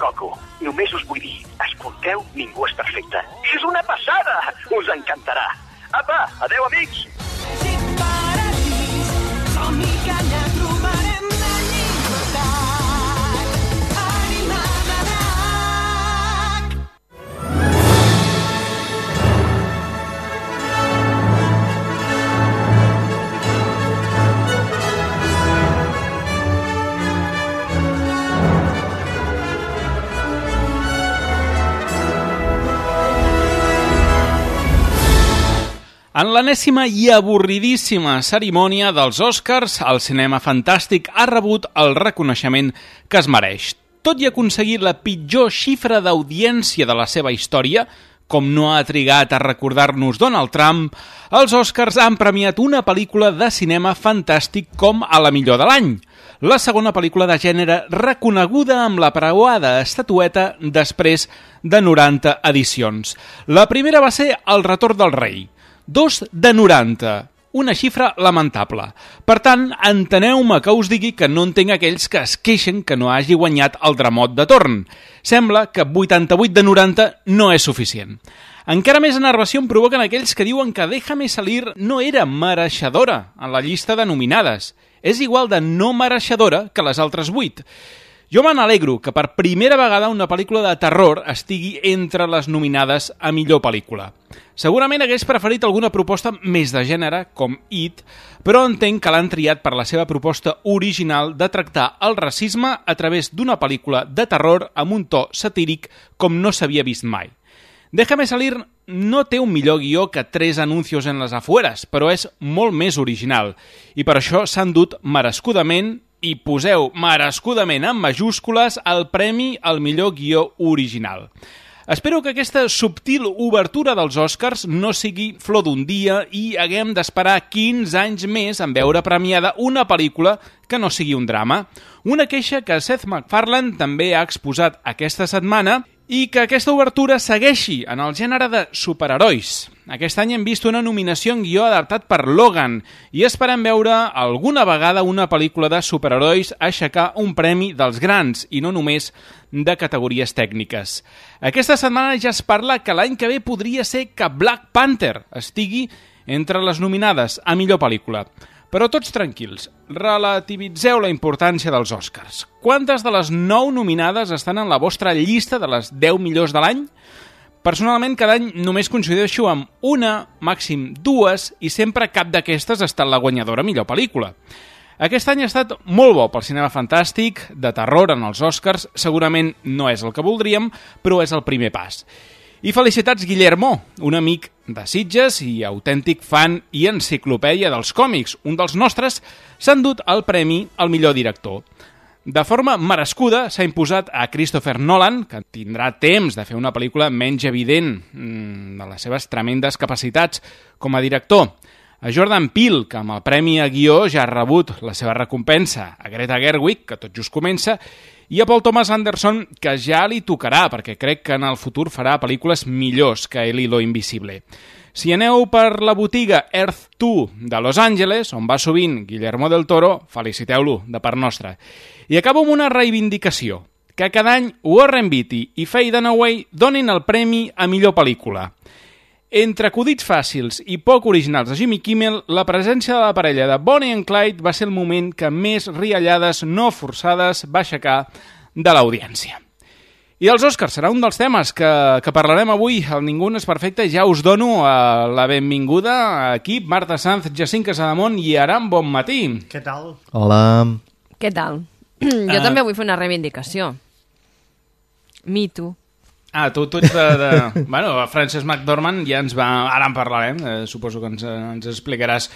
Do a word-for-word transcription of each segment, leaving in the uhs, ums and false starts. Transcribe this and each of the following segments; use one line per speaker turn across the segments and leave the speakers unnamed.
Goku. Només us vull dir, escolteu, ningú és perfecte. És una passada! Us encantarà. Apa, adeu, amics!
En l'enèsima i avorridíssima cerimònia dels Oscars, el cinema fantàstic ha rebut el reconeixement que es mereix. Tot i aconseguir la pitjor xifra d'audiència de la seva història, com no ha trigat a recordar-nos Donald Trump, els Oscars han premiat una pel·lícula de cinema fantàstic com a la millor de l'any. La segona pel·lícula de gènere reconeguda amb la preuada estatueta després de noranta edicions. La primera va ser El retorn del rei. Dos de noranta, una xifra lamentable. Per tant, enteneu-me que us digui que no entenc aquells que es queixen que no hagi guanyat el Dramot de torn. Sembla que vuitanta-vuit de noranta no és suficient. Encara més enervació em provoquen aquells que diuen que Déjame salir no era mereixedora en la llista de nominades. És igual de no mereixedora que les altres vuit. Jo me n'alegro que per primera vegada una pel·lícula de terror estigui entre les nominades a millor pel·lícula. Segurament hagués preferit alguna proposta més de gènere, com It, però entenc que l'han triat per la seva proposta original de tractar el racisme a través d'una pel·lícula de terror amb un to satíric com no s'havia vist mai. Déjame salir no té un millor guió que Tres anuncios en les afueres, però és molt més original, i per això s'han dut merescudament, i poseu merescudament en majúscules, el premi al millor guió original. Espero que aquesta subtil obertura dels Oscars no sigui flor d'un dia i haguem d'esperar quinze anys més en veure premiada una pel·lícula que no sigui un drama. Una queixa que Seth MacFarlane també ha exposat aquesta setmana i que aquesta obertura segueixi en el gènere de superherois. Aquest any hem vist una nominació en guió adaptat per Logan i esperem veure alguna vegada una pel·lícula de superherois aixecar un premi dels grans i no només de categories tècniques. Aquesta setmana ja es parla que l'any que ve podria ser que Black Panther estigui entre les nominades a millor pel·lícula. Però tots tranquils, relativitzeu la importància dels Oscars. Quantes de les nou nominades estan en la vostra llista de les deu millors de l'any? Personalment, cada any només coincideixo amb una, màxim dues, i sempre cap d'aquestes ha estat la guanyadora millor pel·lícula. Aquest any ha estat molt bo pel cinema fantàstic, de terror en els Oscars, segurament no és el que voldríem, però és el primer pas. I felicitats Guillermo, un amic de Sitges i autèntic fan i enciclopèdia dels còmics. Un dels nostres s'ha endut el premi al millor director. De forma merescuda s'ha imposat a Christopher Nolan, que tindrà temps de fer una pel·lícula menys evident mmm, de les seves tremendes capacitats com a director. A Jordan Peele, que amb el premi a guió ja ha rebut la seva recompensa. A Greta Gerwig, que tot just comença. I a Paul Thomas Anderson, que ja li tocarà, perquè crec que en el futur farà pel·lícules millors que El hilo invisible. Si aneu per la botiga Earth dos de Los Angeles, on va sovint Guillermo del Toro, feliciteu-lo de part nostra. I acabo amb una reivindicació, que cada any Warren Beatty i Faye Dunaway donin el premi a millor pel·lícula. Entre acudits fàcils i poc originals de Jimmy Kimmel, la presència de la parella de Bonnie and Clyde va ser el moment que més riallades no forçades va aixecar de l'audiència. I els Oscars serà un dels temes que, que parlarem avui. El Ningú no és perfecte. Ja us dono uh, la benvinguda a equip. Marta Sanz, Jacint Casademont i Aram, bon matí.
Què tal?
Hola.
Què tal? Jo uh... també vull fer una reivindicació. Me too.
Ah, tu, tu ets de... de... bueno, Frances McDormand ja ens va... Ara en parlarem, eh, suposo que ens, ens explicaràs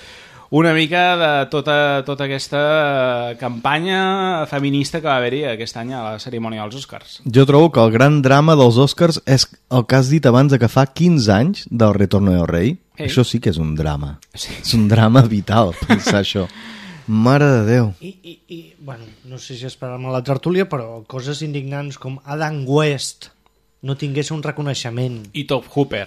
una mica de tota, tota aquesta campanya feminista que va haver-hi aquest any a la cerimònia dels Oscars.
Jo trobo que el gran drama dels Oscars és el que has dit abans de que fa quinze anys del Retorno del Rei. Hey. Això sí que és un drama. Sí. És un drama vital, pensar això. Mare de Déu.
I, i, i bueno, no sé si esperàvem a la tertúlia, però coses indignants com Adam West no tingués un reconeixement.
I Top Hooper.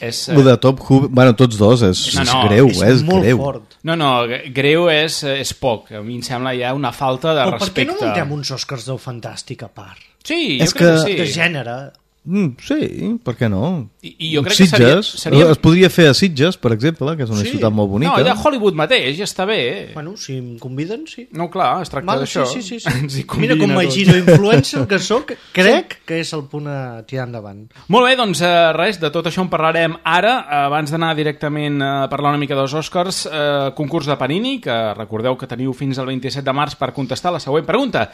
És,
uh... de Top Hooper, bueno, tots dos, és, no, no, és greu, és, és
molt
greu.
fort.
No, no, greu és, és poc. A mi em sembla ja una falta de
o
respecte.
Per què no muntem uns Oscars del Fantàstic a part?
Sí, jo
és
crec que,
que
sí.
De gènere.
Mm, sí, per què no?
I, i jo crec
Sitges,
que seria, seria...
es podria fer a Sitges, per exemple, que és una
Sí.
ciutat molt bonica.
No, allà a Hollywood mateix, ja està bé.
Bueno, si em conviden, sí.
No, clar, es tracta
Vale,
d'això.
sí, sí, sí,
Ens
sí.
hi
Mira,
conviden
com
a
a
tots.
giro influencer que sóc, crec que és el punt a tirar endavant.
Molt bé, doncs eh, res, de tot això en parlarem ara. Abans d'anar directament a parlar una mica dels Oscars, eh, concurs de Panini, que recordeu que teniu fins al vint-i-set de març per contestar la següent pregunta.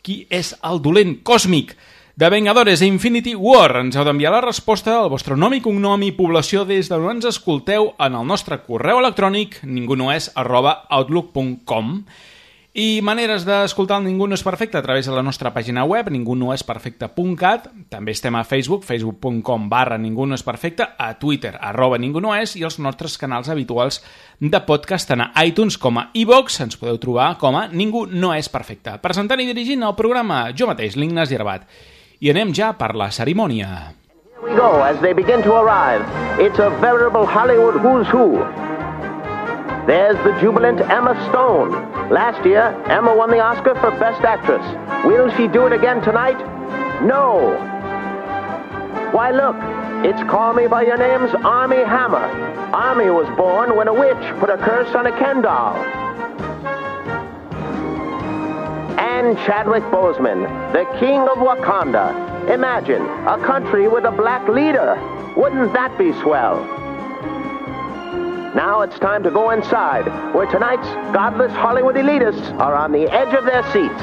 Qui és el dolent còsmic de Vengadores Infinity War? Ens heu d'enviar la resposta al vostre nom i cognom i població des d'on ens escolteu en el nostre correu electrònic ningunoes arroba outlook punt com. I maneres d'escoltar el Ningú no és perfecte a través de la nostra pàgina web, ningunoesperfecte punt cat. També estem a Facebook, facebook punt com barra Ningú no és perfecte, a Twitter, arroba Ningú no és, i els nostres canals habituals de podcast, tant a iTunes com a iVox. Ens podeu trobar com a Ningú no és perfecte. Presentant i dirigint el programa, jo mateix, l'Ignasi Herbat. I anem ja per la cerimònia.
Here we go as they begin to arrive. It's a veritable Hollywood who's who. There's the jubilant Emma Stone. Last year, Emma won the Oscar for Best Actress. Will she do it again tonight? No. Why, look, it's Call Me By Your Name's Armie Hammer. Armie was born when a witch put a curse on a Ken doll. And Chadwick Boseman, the king of Wakanda. Imagine, a country with a black leader. Wouldn't that be swell? Now it's time to go inside, where tonight's godless Hollywood elitists are on the edge of their seats.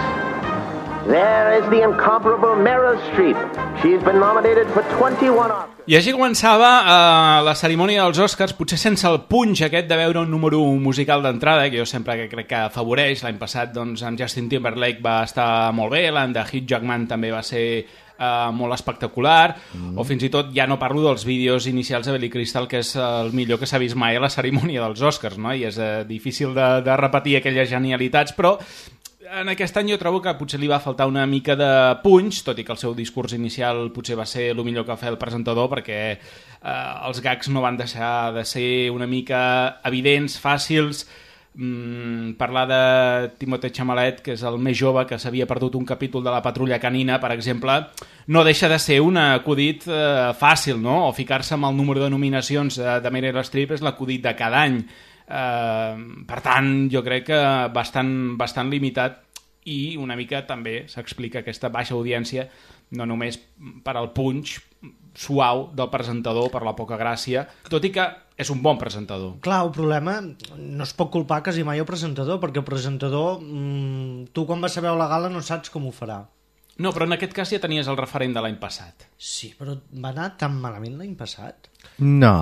There is the incomparable Meryl Streep. She's been nominated for twenty-one Oscars.
I així començava uh, la cerimònia dels Oscars, potser sense el punx aquest de veure un número musical d'entrada, que jo sempre que crec que afavoreix. L'any passat doncs, amb Justin Timberlake va estar molt bé, l'any de Hugh Jackman també va ser uh, molt espectacular, mm. o fins i tot ja no parlo dels vídeos inicials de Billy Crystal, que és el millor que s'ha vist mai a la cerimònia dels Oscars, no? I és uh, difícil de, de repetir aquelles genialitats, però en aquest any jo trobo que potser li va faltar una mica de punx, tot i que el seu discurs inicial potser va ser el millor que va fer el presentador, perquè eh, els gags no van deixar de ser una mica evidents, fàcils. Mm, parlar de Timothée Chalamet, que és el més jove, que s'havia perdut un capítol de la Patrulla Canina, per exemple, no deixa de ser un acudit eh, fàcil, no? O ficar-se amb el número de nominacions de, de Meryl Streep és l'acudit de cada any. Uh, per tant, jo crec que bastant, bastant limitat, i una mica també s'explica aquesta baixa audiència no només per al punx suau del presentador, per la poca gràcia, tot i que és un bon presentador.
Clar, el problema no es pot culpar quasi mai el presentador, perquè el presentador, mmm, tu quan vas a veure la gala no saps com ho farà.
No, però en aquest cas ja tenies el referent de l'any passat.
Sí, però va anar tan malament l'any passat?
No.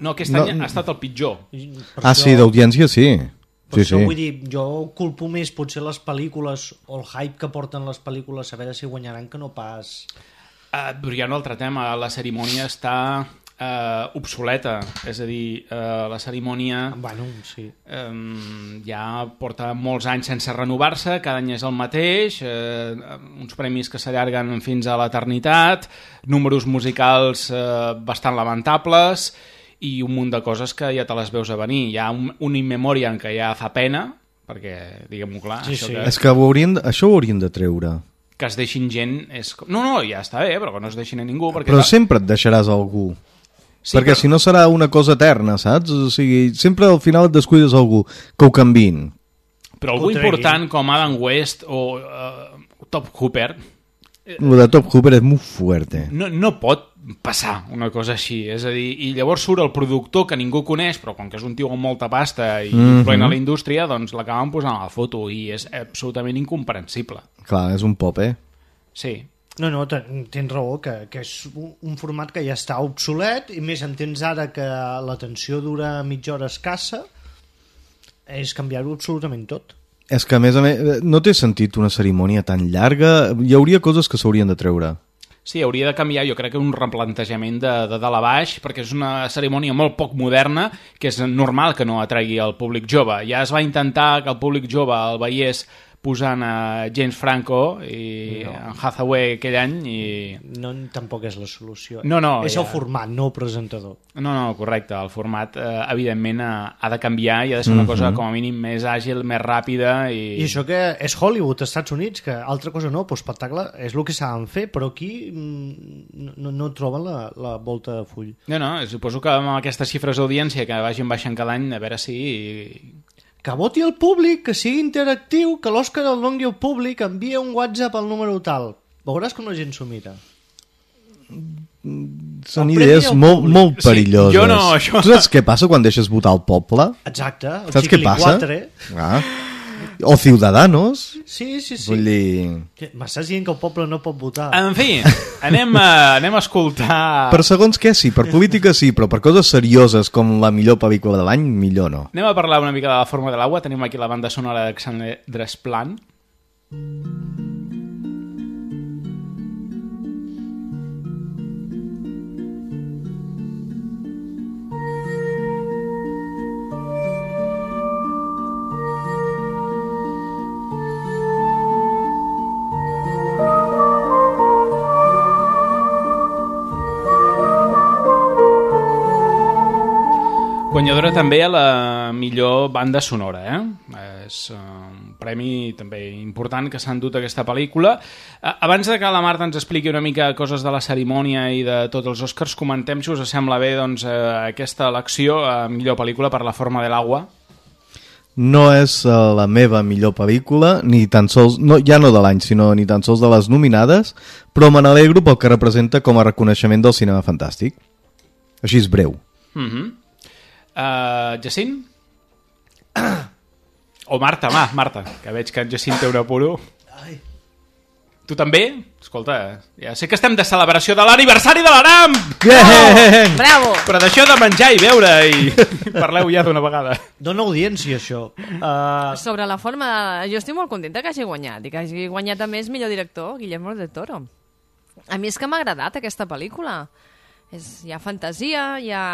No, aquest
no.
any ha estat el pitjor.
Per
Ah,
això,
sí, d'audiència sí.
Per
Sí,
això
sí.
vull dir, jo culpo més potser les pel·lícules o el hype que porten les pel·lícules a veure si guanyaran que no pas...
Uh, però hi ha un altre tema, la cerimònia està uh, obsoleta, és a dir, uh, la cerimònia
Bueno, sí.
um, ja porta molts anys sense renovar-se, cada any és el mateix, uh, uns premis que s'allarguen fins a l'eternitat, números musicals uh, bastant lamentables i un munt de coses que ja te les veus a venir. Hi ha un, un in memoriam que ja fa pena, perquè, diguem-ho clar,
Sí,
això
sí.
que...
És que ho haurien, això ho haurien de treure.
que es deixin gent és... No, no, ja està bé, però que no es deixin a ningú perquè...
Però sempre et deixaràs algú.
Sí,
perquè
però-
si no serà una cosa eterna, saps? O sigui, sempre al final et descuides algú que ho canviïn.
Però algú
Ho
important com Adam West o uh, Top Hooper
Lo de Top Hooper és molt fuerte.
no, no pot passar una cosa així, és a dir, i llavors surt el productor que ningú coneix, però com que és un tio amb molta pasta i
Mhm.
influent a la indústria, doncs l'acaben posant a la foto i és absolutament incomprensible.
Clar, és un pop, eh?
Sí.
No, no, ten- tens raó, que, que és un, un format que ja està obsolet, i més entens ara que l'atenció dura mitja hora escassa, és canviar-ho absolutament tot.
És que, a més a més, no té sentit una cerimònia tan llarga. Hi hauria coses que s'haurien de treure.
Sí, hauria de canviar, jo crec que un replantejament de, de dalt a baix, perquè és una cerimònia molt poc moderna, que és normal que no atregui el públic jove. Ja es va intentar que el públic jove el veiés posant a James Franco i no. en Hathaway aquell any i...
No, tampoc és la solució.
No, no,
és
ja...
el format, no el presentador.
No, no, correcte. El format, eh, evidentment, ha de canviar i ha de ser una mm-hmm. cosa, com a mínim, més àgil, més ràpida. I...
I això que és Hollywood, als Estats Units, que altra cosa no, però espectacle és el que saben fer, però aquí no, no troben la, la volta de full.
No, no, suposo que amb aquestes xifres d'audiència que vagin baixant cada any, a veure si...
Que voti el públic, que sigui interactiu, que l'Òscar el doni al públic, envia un WhatsApp al número tal. Veuràs com la gent s'ho mira.
Són idees molt, molt perilloses.
Sí, jo no, això...
Tu saps què passa quan deixes votar el poble?
Exacte. El
saps què passa? Ah. O Ciudadanos.
Sí, sí, sí.
Vull dir...
M'estàs dient que el poble no pot votar.
En fi, anem a, anem a escoltar...
Per segons què sí, per política sí, però per coses serioses com la millor pel·lícula de l'any, millor no.
Anem a parlar una mica de La forma de l'aigua. Tenim aquí la banda sonora d'Alexandre Desplat. Guanyadora també a la millor banda sonora, eh? És un premi també important que s'han dut aquesta pel·lícula. Abans de que la Marta ens expliqui una mica coses de la cerimònia i de tots els Oscars, comentem, si us sembla bé, doncs, aquesta elecció a millor pel·lícula per La forma de l'aigua.
No és la meva millor pel·lícula, ni tan sols, no, ja no de l'any, sinó ni tan sols de les nominades, però me n'alegro pel que representa com a reconeixement del cinema fantàstic. Així és breu.
Mhm. Uh, Jacint? O Marta, va, Marta, que veig que en Jacint té un apuro. Ai. Tu també? Escolta, ja sé que estem de celebració de l'aniversari de l'Aram!
Yeah!
Oh, bravo!
Però deixeu de menjar i beure i parleu ja d'una vegada.
Dóna audiència, això. Uh...
Sobre la forma de... Jo estic molt contenta que hagi guanyat i que hagi guanyat a més millor director, Guillermo del Toro. A mi és que m'ha agradat aquesta pel·lícula. És... Hi ha fantasia, hi ha...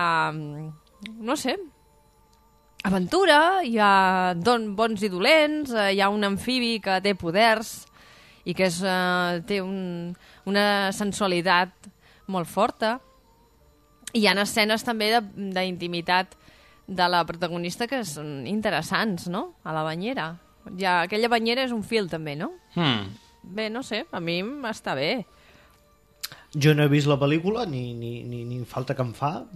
no sé, aventura, hi ha don, bons i dolents, hi ha un amfibi que té poders i que és, uh, té un, una sensualitat molt forta. I hi ha escenes també d'intimitat de, de la protagonista que són interessants, no?, a la banyera. Ja, aquella banyera és un fil també, no?
Hmm.
Bé, no sé, a mi està bé.
Jo no he vist la pel·lícula, ni, ni, ni, ni falta que em fa.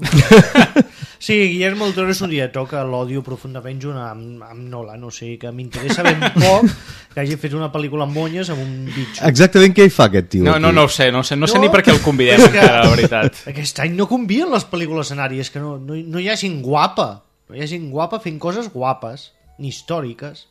Sí, Guillermo del Toro és un director que l'odio profundament junt amb, amb Nolan, o sigui que m'interessa ben poc que hagi fet una pel·lícula amb monyes amb un bitxo.
Exactament què hi fa aquest tio?
No,
aquí?
no, no ho sé, no, sé, no, no sé ni per què el convidem,
que,
encara, la veritat.
Aquest any no convien les pel·lícules escenàries, que no, no, no hi ha gent guapa, no hi ha gent guapa fent coses guapes, ni històriques.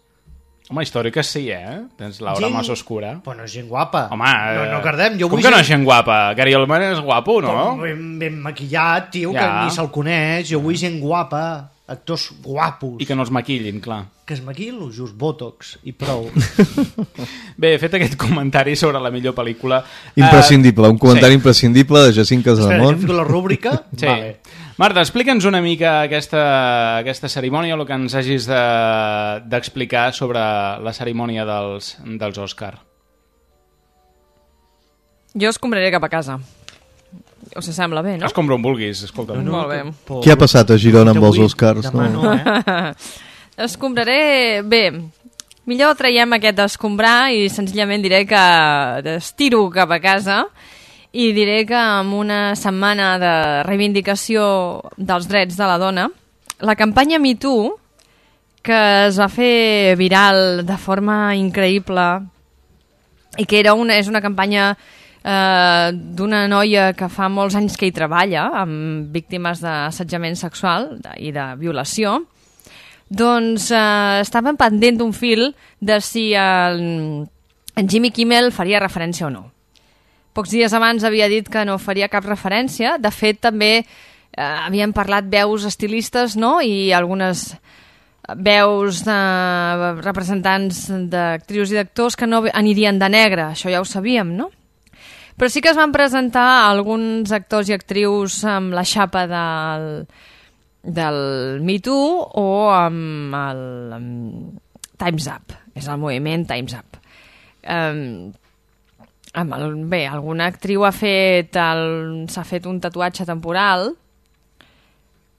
Home, històriques sí, eh? Tens l'obra més oscura.
Però no és gent guapa.
Home,
no, no cardem. Jo
com
vull
que no és gent guapa? Gary Oldman és guapo, no?
Ben, ben maquillat, tio,
ja.
Que ni se'l coneix. Jo vull gent guapa, actors guapos.
I que no els maquillin, clar.
Que es maquillin, just botox i prou.
Bé, he fet aquest comentari sobre la millor pel·lícula.
Imprescindible, un comentari
sí.
imprescindible de Jacint Casademont.
Espera, que fico la rúbrica?
Sí.
Vale.
Marta, explica'ns una mica aquesta, aquesta cerimònia, el que ens hagis d'explicar de, sobre la cerimònia dels, dels Òscar.
Jo escombraré cap a casa. Us sembla bé, no?
Escombra on vulguis, escolta.
No, no, Molt bé.
Por...
Què ha passat a Girona amb els Oscars?
Demà no, eh?
Escombraré... Bé, millor traiem aquest escombrar i senzillament diré que estiro cap a casa i diré que en una setmana de reivindicació dels drets de la dona, la campanya Me Too, que es va fer viral de forma increïble i que era una, és una campanya eh, d'una noia que fa molts anys que hi treballa amb víctimes d'assetjament sexual i de violació, doncs eh, estaven pendent d'un fil de si el, en Jimmy Kimmel faria referència o no. Pocs dies abans havia dit que no faria cap referència. De fet, també eh, havien parlat veus estilistes, no?, i algunes veus de representants d'actrius i d'actors que no anirien de negre. Això ja ho sabíem, no? Però sí que es van presentar alguns actors i actrius amb la xapa del, del Me Too o amb el amb Time's Up, és el moviment Time's Up. Um, amb el, bé, alguna actriu ha fet el, s'ha fet un tatuatge temporal,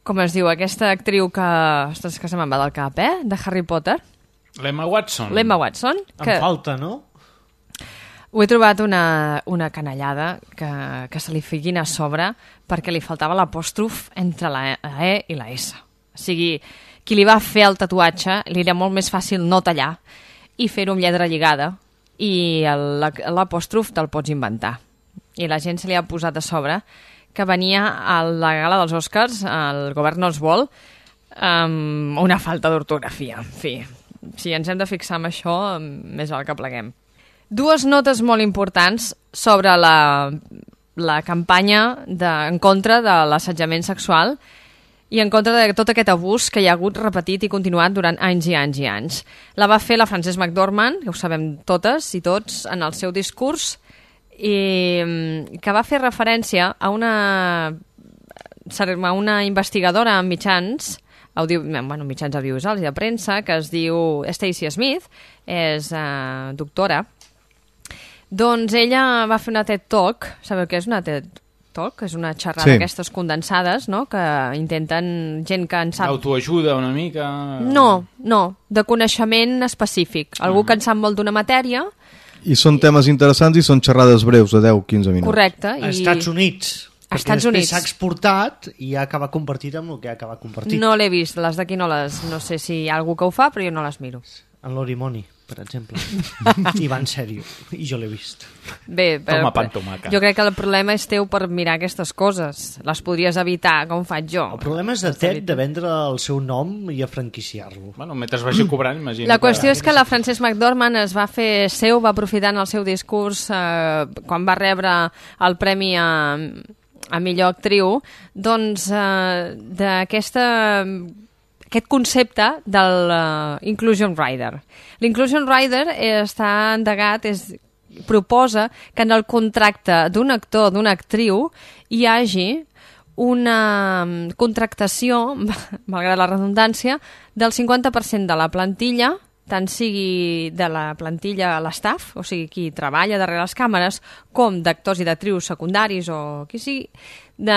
com es diu, aquesta actriu que, ostres, que se me'n va del cap, eh? De Harry Potter.
L'Emma Watson.
L'Emma Watson. Que...
Em falta, no?
Ho he trobat una, una canallada que, que se li fiquin a sobre perquè li faltava l'apòstrof entre la E i la S. O sigui, qui li va fer el tatuatge li era molt més fàcil no tallar i fer-ho amb lletra lligada i l'apòstrof te'l pots inventar. I la gent se li ha posat a sobre que venia a la gala dels Oscars, el govern no els vol, amb una falta d'ortografia. En fi, si ens hem de fixar en això, més val que pleguem. Dues notes molt importants sobre la, la campanya de, en contra de l'assetjament sexual i en contra de tot aquest abús que hi ha hagut repetit i continuat durant anys i anys i anys. La va fer la Frances McDormand, que ho sabem totes i tots, en el seu discurs, i que va fer referència a una, a una investigadora en mitjans, audio, bueno, mitjans audiovisuals i de premsa, que es diu Stacey Smith, és uh, doctora. Doncs ella va fer una TED Talk. Sabeu què és una TED Talk? És una xerrada
sí.
d'aquestes condensades, no?, que intenten gent que en sap...
Autoajuda una mica...
No, no, de coneixement específic. Algú uh-huh. que en sap molt d'una matèria...
I són temes interessants i són xerrades breus de deu a quinze minuts.
Correcte.
I... Als Estats Units.
Als Estats Units.
S'ha exportat i ha acabat compartit amb el que ha acabat compartit.
No l'he vist, les d'aquí no les... No sé si hi ha algú que ho fa, però jo no les miro.
En l'Orimoni, per exemple. I va en sèrio. I jo l'he vist.
Bé, però,
Toma pan, tomaca.
Jo crec que el problema és teu per mirar aquestes coses. Les podries evitar, com faig jo.
El problema és de TED de vendre el seu nom i a franquiciar-lo.
Bueno, mentre vagi cobrant, imagino.
La qüestió que... és que la Frances McDormand es va fer seu, va aprofitar en el seu discurs eh, quan va rebre el premi a, a millor actriu, doncs eh, d'aquesta... aquest concepte del uh, Inclusion Rider. L'Inclusion Rider eh, està endegat, és, proposa que en el contracte d'un actor, d'una actriu, hi hagi una contractació, malgrat la redundància, del cinquanta per cent de la plantilla, tant sigui de la plantilla a l'estaff, o sigui, qui treballa darrere les càmeres, com d'actors i d'actrius secundaris o qui sigui, de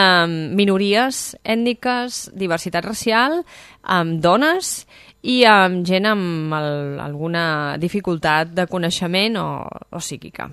minories ètniques, diversitat racial, amb dones i amb gent amb el, alguna dificultat de coneixement o, o psíquica.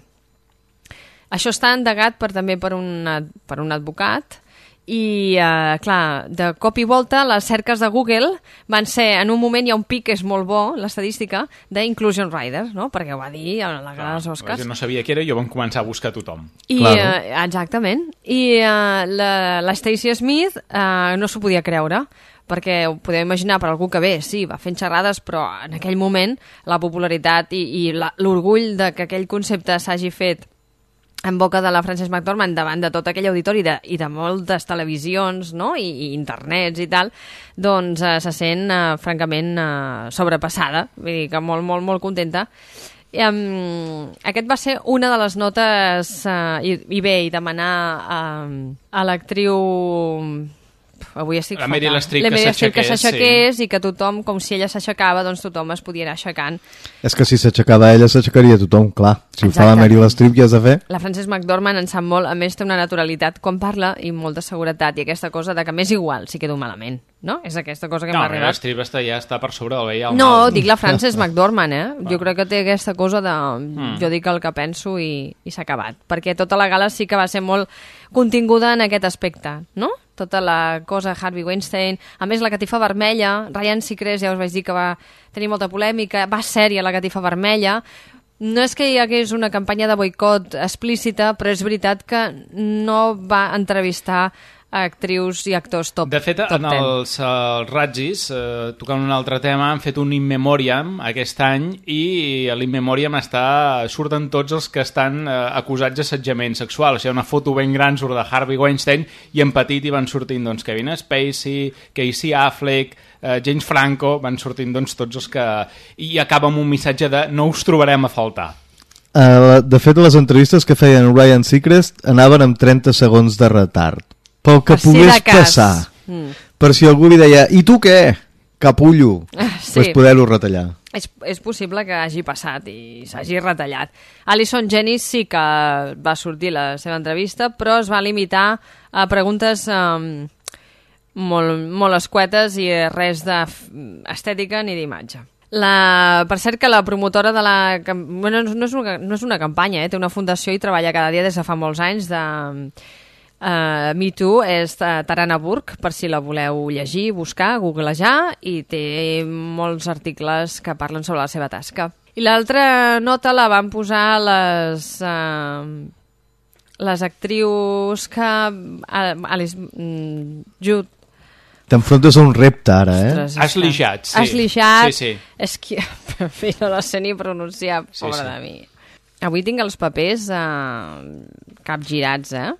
Això està endegat per, també per un, per un advocat i, eh, clar, de cop i volta les cerques de Google van ser, en un moment hi ha un pic que és molt bo, l'estadística, d'Inclusion Rider, no?, perquè ho va dir a la gala dels Oscars.
Jo no sabia què era i jo vam començar a buscar tothom.
I, eh, exactament. I eh, la, la Stacey Smith eh, no s'ho podia creure, perquè ho podeu imaginar per algú que bé, sí, va fent xerrades, però en aquell moment la popularitat i, i l'orgull de que aquell concepte s'hagi fet en boca de la Frances McDormand davant de tot aquell auditori de, i de moltes televisions, no?, i, i internets i tal, doncs eh, se sent eh, francament eh, sobrepassada, vull dir que molt, molt, molt contenta. I, um, aquest va ser una de les notes eh, i, i bé, i demanar eh, a l'actriu... Avui estic
la Meryl Streep
que s'aixequés sí. I que tothom, com si ella s'aixecava, doncs tothom es podia anar aixecant.
És que si s'aixecava ella, s'aixecaria tothom, clar. Si Exacte. Ho fa la Meryl Streep, què has de fer? La
Frances McDormand en sap molt, a més té una naturalitat quan parla i molta seguretat, i aquesta cosa de que m'és igual si quedo malament, no? És aquesta cosa que
no,
m'ha arribat.
No, Meryl Streep està, ja està per sobre del bé i el
no,
mal.
No, dic la Frances McDormand, eh? Jo crec que té aquesta cosa de... Mm. Jo dic el que penso i, i s'ha acabat. Perquè tota la gala sí que va ser molt continguda en aquest aspecte, no? Tota la cosa Harvey Weinstein, a més la catifa vermella, Ryan Seacrest ja us vaig dir que va tenir molta polèmica, va sèria la catifa vermella, no és que hi hagués una campanya de boicot explícita, però és veritat que no va entrevistar actrius i actors top
De fet,
top
en els, els Razzis, eh, tocant un altre tema, han fet un In Memoriam aquest any i a l'In Memoriam està, surten tots els que estan eh, acusats d'assetjament sexual. O sigui, una foto ben gran surt de Harvey Weinstein i en petit hi van sortint doncs, Kevin Spacey, Casey Affleck, eh, James Franco, van sortint doncs, tots els que... I acaba amb un missatge de no us trobarem a faltar.
Uh, de fet, les entrevistes que feien Ryan Seacrest anaven amb trenta segons de retard. Pel que
per
pogués
si
passar.
Mm.
Per si algú li deia, i tu què? Capullo.
Ah, sí.
Pues poder-ho retallar.
És, és possible que hagi passat i s'hagi retallat. Alison Jennings sí que va sortir la seva entrevista, però es va limitar a preguntes um, molt, molt escuetes i res d'estètica ni d'imatge. La, per cert que la promotora de la... Bueno, no és una, no és una campanya, eh? Té una fundació i treballa cada dia des de fa molts anys de... Uh, Me Too és Tarana Burke, per si la voleu llegir, buscar, googlejar, i té molts articles que parlen sobre la seva tasca. I l'altra nota la van posar les uh, les actrius que uh, Alice mm, Jude
t'enfrontes a un repte ara, eh?
Ostres,
Ashley Judd, sí.
Ashley Judd,
sí, sí.
és que per fi no la sé ni pronunciar,
Sí,
pobra
sí.
de mi. Avui tinc els papers uh, capgirats, eh?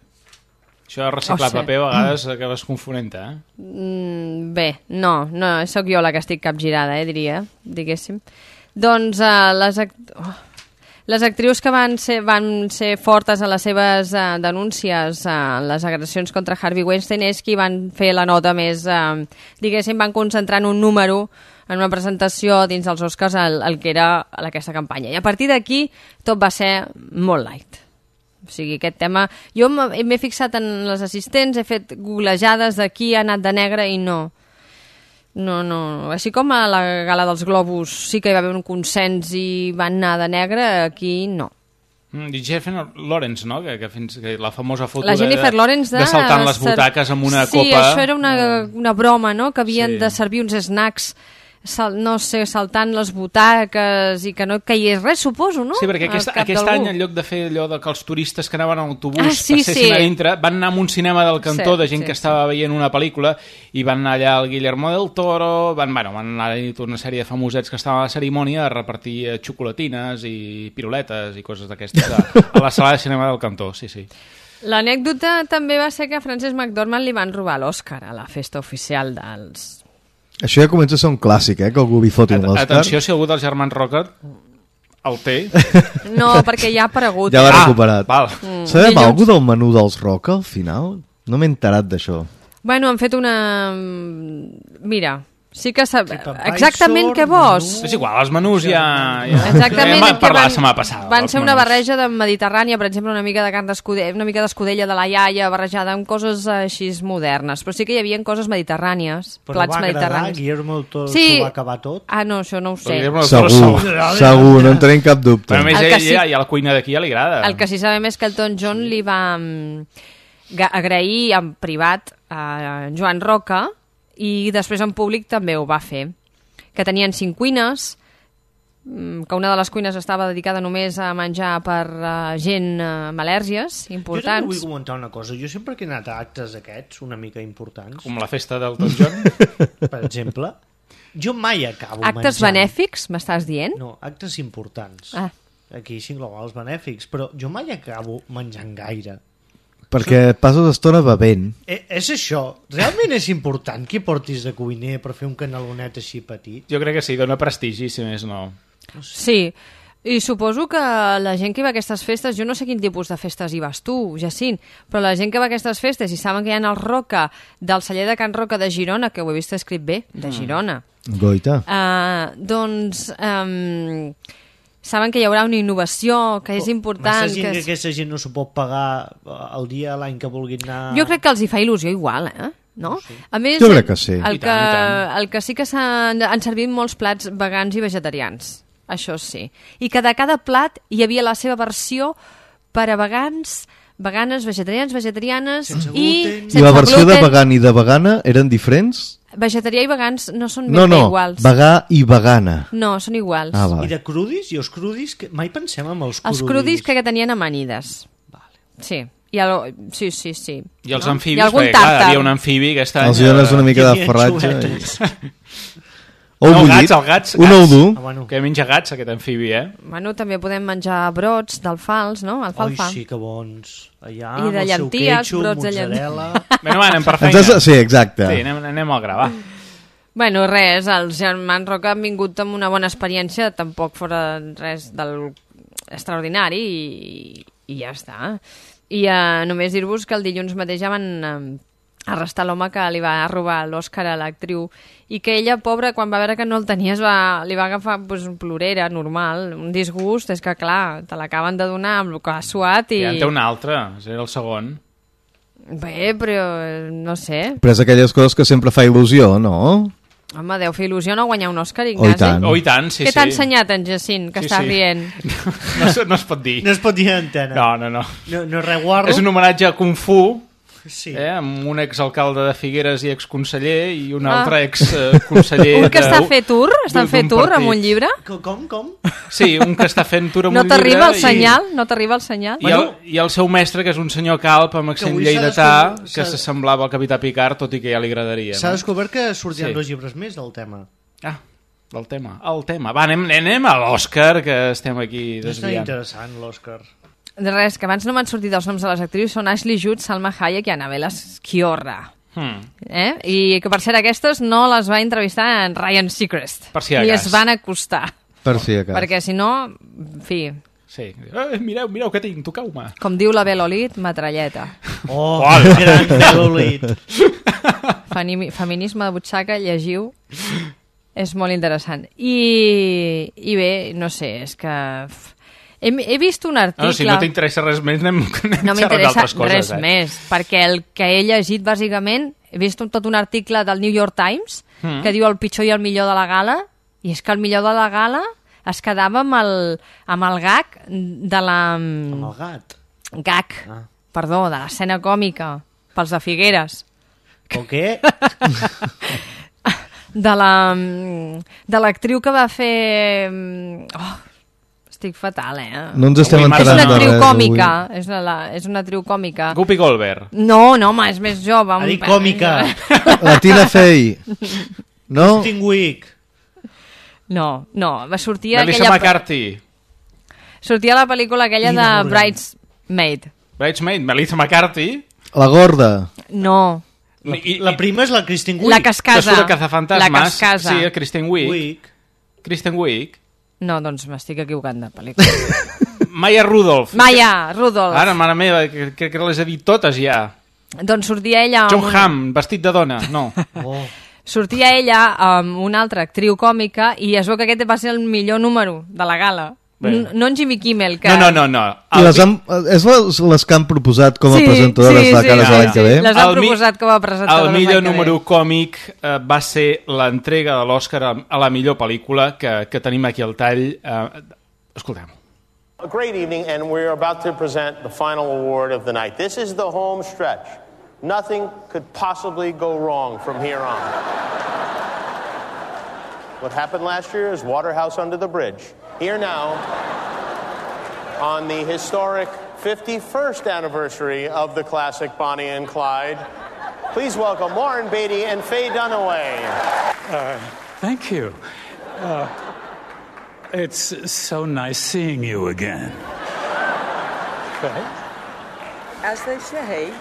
Això de reciclar
Oh, sí.
paper a vegades acabes confonent, eh?
Mm, bé, no, no, sóc jo la que estic capgirada, eh, diria, diguéssim. Doncs uh, les, act oh, les actrius que van ser, van ser fortes a les seves uh, denúncies a uh, les agressions contra Harvey Weinstein és qui van fer la nota més, uh, diguéssim, van concentrar en un número en una presentació dins dels Oscars el, el que era aquesta campanya. I a partir d'aquí tot va ser molt light. O sigui, aquest tema... Jo m'he fixat en les assistents, he fet googlejades de qui ha anat de negre i no. No, no. Així com a la gala dels Globus sí que hi va haver un consens i van anar de negre, aquí no.
Mm, I Jennifer Lawrence, no? Que, que, fins, que la famosa foto
La Jennifer
de,
Lawrence de...
de saltant les butaques amb una
sí,
copa...
Sí, això era una, una broma, no?, que havien
Sí.
de servir uns snacks, sal, no sé, saltant les butaques i que no caigués res, suposo, no?
Sí, perquè aquest,
Al cap
aquest
d'algú.
any, en lloc de fer allò de que els turistes que anaven en autobús
Ah, sí,
passessin
sí.
a dintre, van anar a un cinema del cantó
Sí,
de gent
sí,
que estava veient una pel·lícula i van anar allà el Guillermo del Toro, van, bueno, van anar a tota una sèrie de famosets que estaven a la cerimònia a repartir eh, xocolatines i piruletes i coses d'aquestes a, a la sala de cinema del cantó, sí, sí.
L'anècdota també va ser que a Frances McDormand li van robar l'Oscar a la festa oficial dels...
Això ja comença a ser un clàssic, eh? Que algú li foti un
At
Òscar.
Atenció, si algú dels germans Rocker el té.
No, perquè ja ha aparegut.
Ja l'ha
eh?
recuperat.
Val.
Mm,
Sabem
dilluns.
alguna del menú dels Roca al final? No m'he enterat d'això.
Bueno, han fet una... Mira, sí que sap...
Tipo
Exactament què vols?
És igual, els menús ja... ja...
Exactament,
ja vam
que
parlar
van,
la setmana passada.
van
dels
ser una
menús.
barreja de mediterrània, per exemple, una mica de carn d'escudella, una mica d'escudella de la iaia, barrejada amb coses així modernes, però sí que hi havia coses mediterrànies,
Però
plats
va agradar,
mediterranis.
Guillermo del Toro
Sí.
s'ho va acabar tot.
Ah, no, això no ho sé.
Guillermo del Toro
Segur,
segur.
segur, no en tenim cap dubte.
Però a més,
El
ell,
que sí-
ja, ja a la cuina d'aquí ja li agrada.
El que sí sabem és que el Elton John li va mm, ga- agrair en privat a Joan Roca i després en públic també ho va fer. Que tenien cinc cuines, mm, que una de les cuines estava dedicada només a menjar per uh, gent uh, amb al·lèrgies
Jo també
importants.
vull comentar una cosa. Jo sempre que he anat a actes aquests, una mica importants,
Com la festa del Elton John.
per exemple, jo mai acabo
Actes
menjant.
benèfics, m'estàs dient?
No, actes importants.
Ah.
Aquí s'inclouen els benèfics, però jo mai acabo menjant gaire.
Perquè passes estona bevent.
Eh, és això. Realment és important que portis de cuiner per fer un canalonet així petit?
Jo crec que sí, dona prestigi, si més no.
Sí, i suposo que la gent que va a aquestes festes, jo no sé quin tipus de festes hi vas tu, Jacint, però la gent que va a aquestes festes i saben que hi ha el Roca del celler de Can Roca de Girona, que ho he vist escrit bé, de Girona,
Goita.
uh, doncs um, saben que hi haurà una innovació, que és important.
Massa gent
Que
que
és...
aquesta gent no s'ho pot pagar el dia, l'any que vulguin anar...
Jo crec que els hi fa il·lusió igual, eh? No? A més,
Jo crec que sí.
El
I
que,
tant, i tant.
el que sí que s'han han servit molts plats vegans i vegetarians. Això sí. I que de cada plat hi havia la seva versió per a vegans, veganes, vegetarians, vegetarianes
Sense
i
gluten.
sense
I la versió de
gluten.
vegan i de vegana eren diferents?
Vegetarià i vegans no són ben
No,
bé
no,
iguals.
vegà i vegana.
No, són iguals.
Ah,
I
vale.
de crudis? I els crudis? Que mai pensem en els crudis.
Els crudis que tenien amanides.
Vale.
Sí. I el... Sí, sí, sí.
I els
no?
amfibis,
I algun
perquè clar,
tàrtar.
hi havia un amfibi aquest any...
Els dones una mica
Hi
de
havia
ferratge.
xuletes.
I... Ou
No,
bullit,
gats, el gats,
un ou
gats.
dur.
Ah, bueno.
Que menja gats, aquest amfibi, eh?
Bueno, també podem menjar brots d'alfals, no?
Oi,
Alfalfa.
sí, que bons. Allà,
I de
amb el seu
llenties,
queixo,
brots de
mozzarella...
Bueno, va, anem per
Ens
feina.
has... Sí, exacte.
Sí, anem, anem al gra, va.
Bueno, res, els germans Roca han vingut amb una bona experiència, tampoc fora res del extraordinari i, i ja està. I uh, només dir-vos que el dilluns mateix ja van uh, arrestar l'home que li va robar l'Òscar a l'actriu i que ella, pobra, quan va veure que no el tenia es va, li va agafar pues, un plorera normal, un disgust, és que clar, te l'acaben de donar amb el que ha suat i...
Ja en té un altre, era el segon.
Bé, però no sé.
Però és aquelles coses que sempre fa il·lusió, no?
Home, deu fer il·lusió no guanyar un Òscar,
Oh, i
Ignasi.
tant.
Oh, i tant, sí,
Què
sí.
t'ha ensenyat en Jacint, que
Sí,
està
sí.
rient?
No, es- no es pot dir.
No es pot dir a antena.
No, no, no.
No, no res guarro.
És un homenatge a Kung Fu,
Sí.
eh, amb un exalcalde de Figueres i exconseller i un
Ah.
altre exconseller...
Un que
de-
està a fer tour? Està
d'un-
a fer
d'un
tour
partit.
amb un llibre?
Com, com? com?
Sí, un que està fent tour amb
No
un llibre...
t'arriba el
i-
senyal? No t'arriba el senyal?
I, el, I el seu mestre, que és un senyor calp amb accent
avui s'ha
lleidatà,
descobert-
que
s'ha-
s'assemblava al capità Picard, tot i que ja li agradaria.
S'ha
No?
descobert que sortiran
Sí.
dos llibres més del tema.
Ah, del tema. El tema. Va, anem, anem a l'Òscar, que estem aquí
Està
desviant.
interessant, l'Òscar.
De res, que abans no m'han sortit els noms de les actrius, són Ashley Judd, Salma Hayek i Annabella Sciorra.
Hmm.
Eh? I que per ser aquestes no les va entrevistar en Ryan Seacrest.
Per si de
I
cas.
es van acostar.
Per si acas.
Perquè si no, en fi,
Sí. Eh, mireu, mireu què tinc, toqueu-me.
com diu la Bel Olit, matralleta.
Oh,
Hola.
gran Belolit.
Feni- Feminisme de butxaca, llegiu. És molt interessant. I, i bé, no sé, és que... f- He, he vist un article...
No, si no t'interessa res més, anem, anem
No
xerrant
m'interessa
d'altres coses.
res
eh?
més, perquè el que he llegit, bàsicament, he vist un, tot un article del New York Times
Mm.
que diu el pitjor i el millor de la gala, i és que el millor de la gala es quedava amb el, amb el gag de la...
Amb el gat.
Gag,
Ah.
perdó, de l'escena còmica, pels de Figueres.
O què?
De la de l'actriu que va fer... Oh, estic fatal, eh?
No ens estem
Avui
És
enterant
una
de
actriu
res,
còmica,
avui.
és una, és una actriu còmica.
Guppy Goldberg.
No, no, home, és més jove.
Ha
un
dit
pèl
còmica.
més jove.
La Tina Fey. No?
Stingwick.
No, no, va sortir a
Melissa
aquella...
McCarthy.
Sortia a la pel·lícula aquella
Ina
de
Morgan.
Bridesmaid.
Bridesmaid, Melissa McCarthy.
La gorda.
No,
La,
I-
la
i-
prima és la Kristen Wiig.
la que es
Que
casa.
surt a Cazafantasmes.
La que es casa.
Sí, Kristen Wiig.
Wiig.
Kristen Wiig.
No, doncs m'estic equivocant de pel·lícula.
Maya Rudolph.
Maya Rudolph.
Ara, mare meva, que, que, que les he dit totes ja.
Doncs sortia ella... amb
John
una-
Hamm, vestit de dona. No.
Oh.
Sortia ella amb una altra actriu còmica i es veu que aquest va ser el millor número de la gala.
Bé.
N- No en Jimmy Kimmel, que...
No, no, no. no.
I
El
les
vi-
han, és les, les que han proposat com a
Sí,
presentadores
sí,
de
sí,
cares
sí,
de l'any
sí.
que ve.
Les han
El mi-
proposat com a presentadores
El
l'any
millor
que ve.
número còmic eh, va ser l'entrega de l'Oscar a, a la millor pel·lícula que, que tenim aquí al tall. Eh, escoltem-ho.
A great evening, and we're about to present the final award of the night. This is the home stretch. Nothing could possibly go wrong from here on. What happened last year is Waterhouse Under the Bridge. Here now, on the historic fifty-first anniversary of the classic Bonnie and Clyde, please welcome Warren Beatty and Faye Dunaway.
Thank you. Uh, it's so nice seeing you again.
As they say,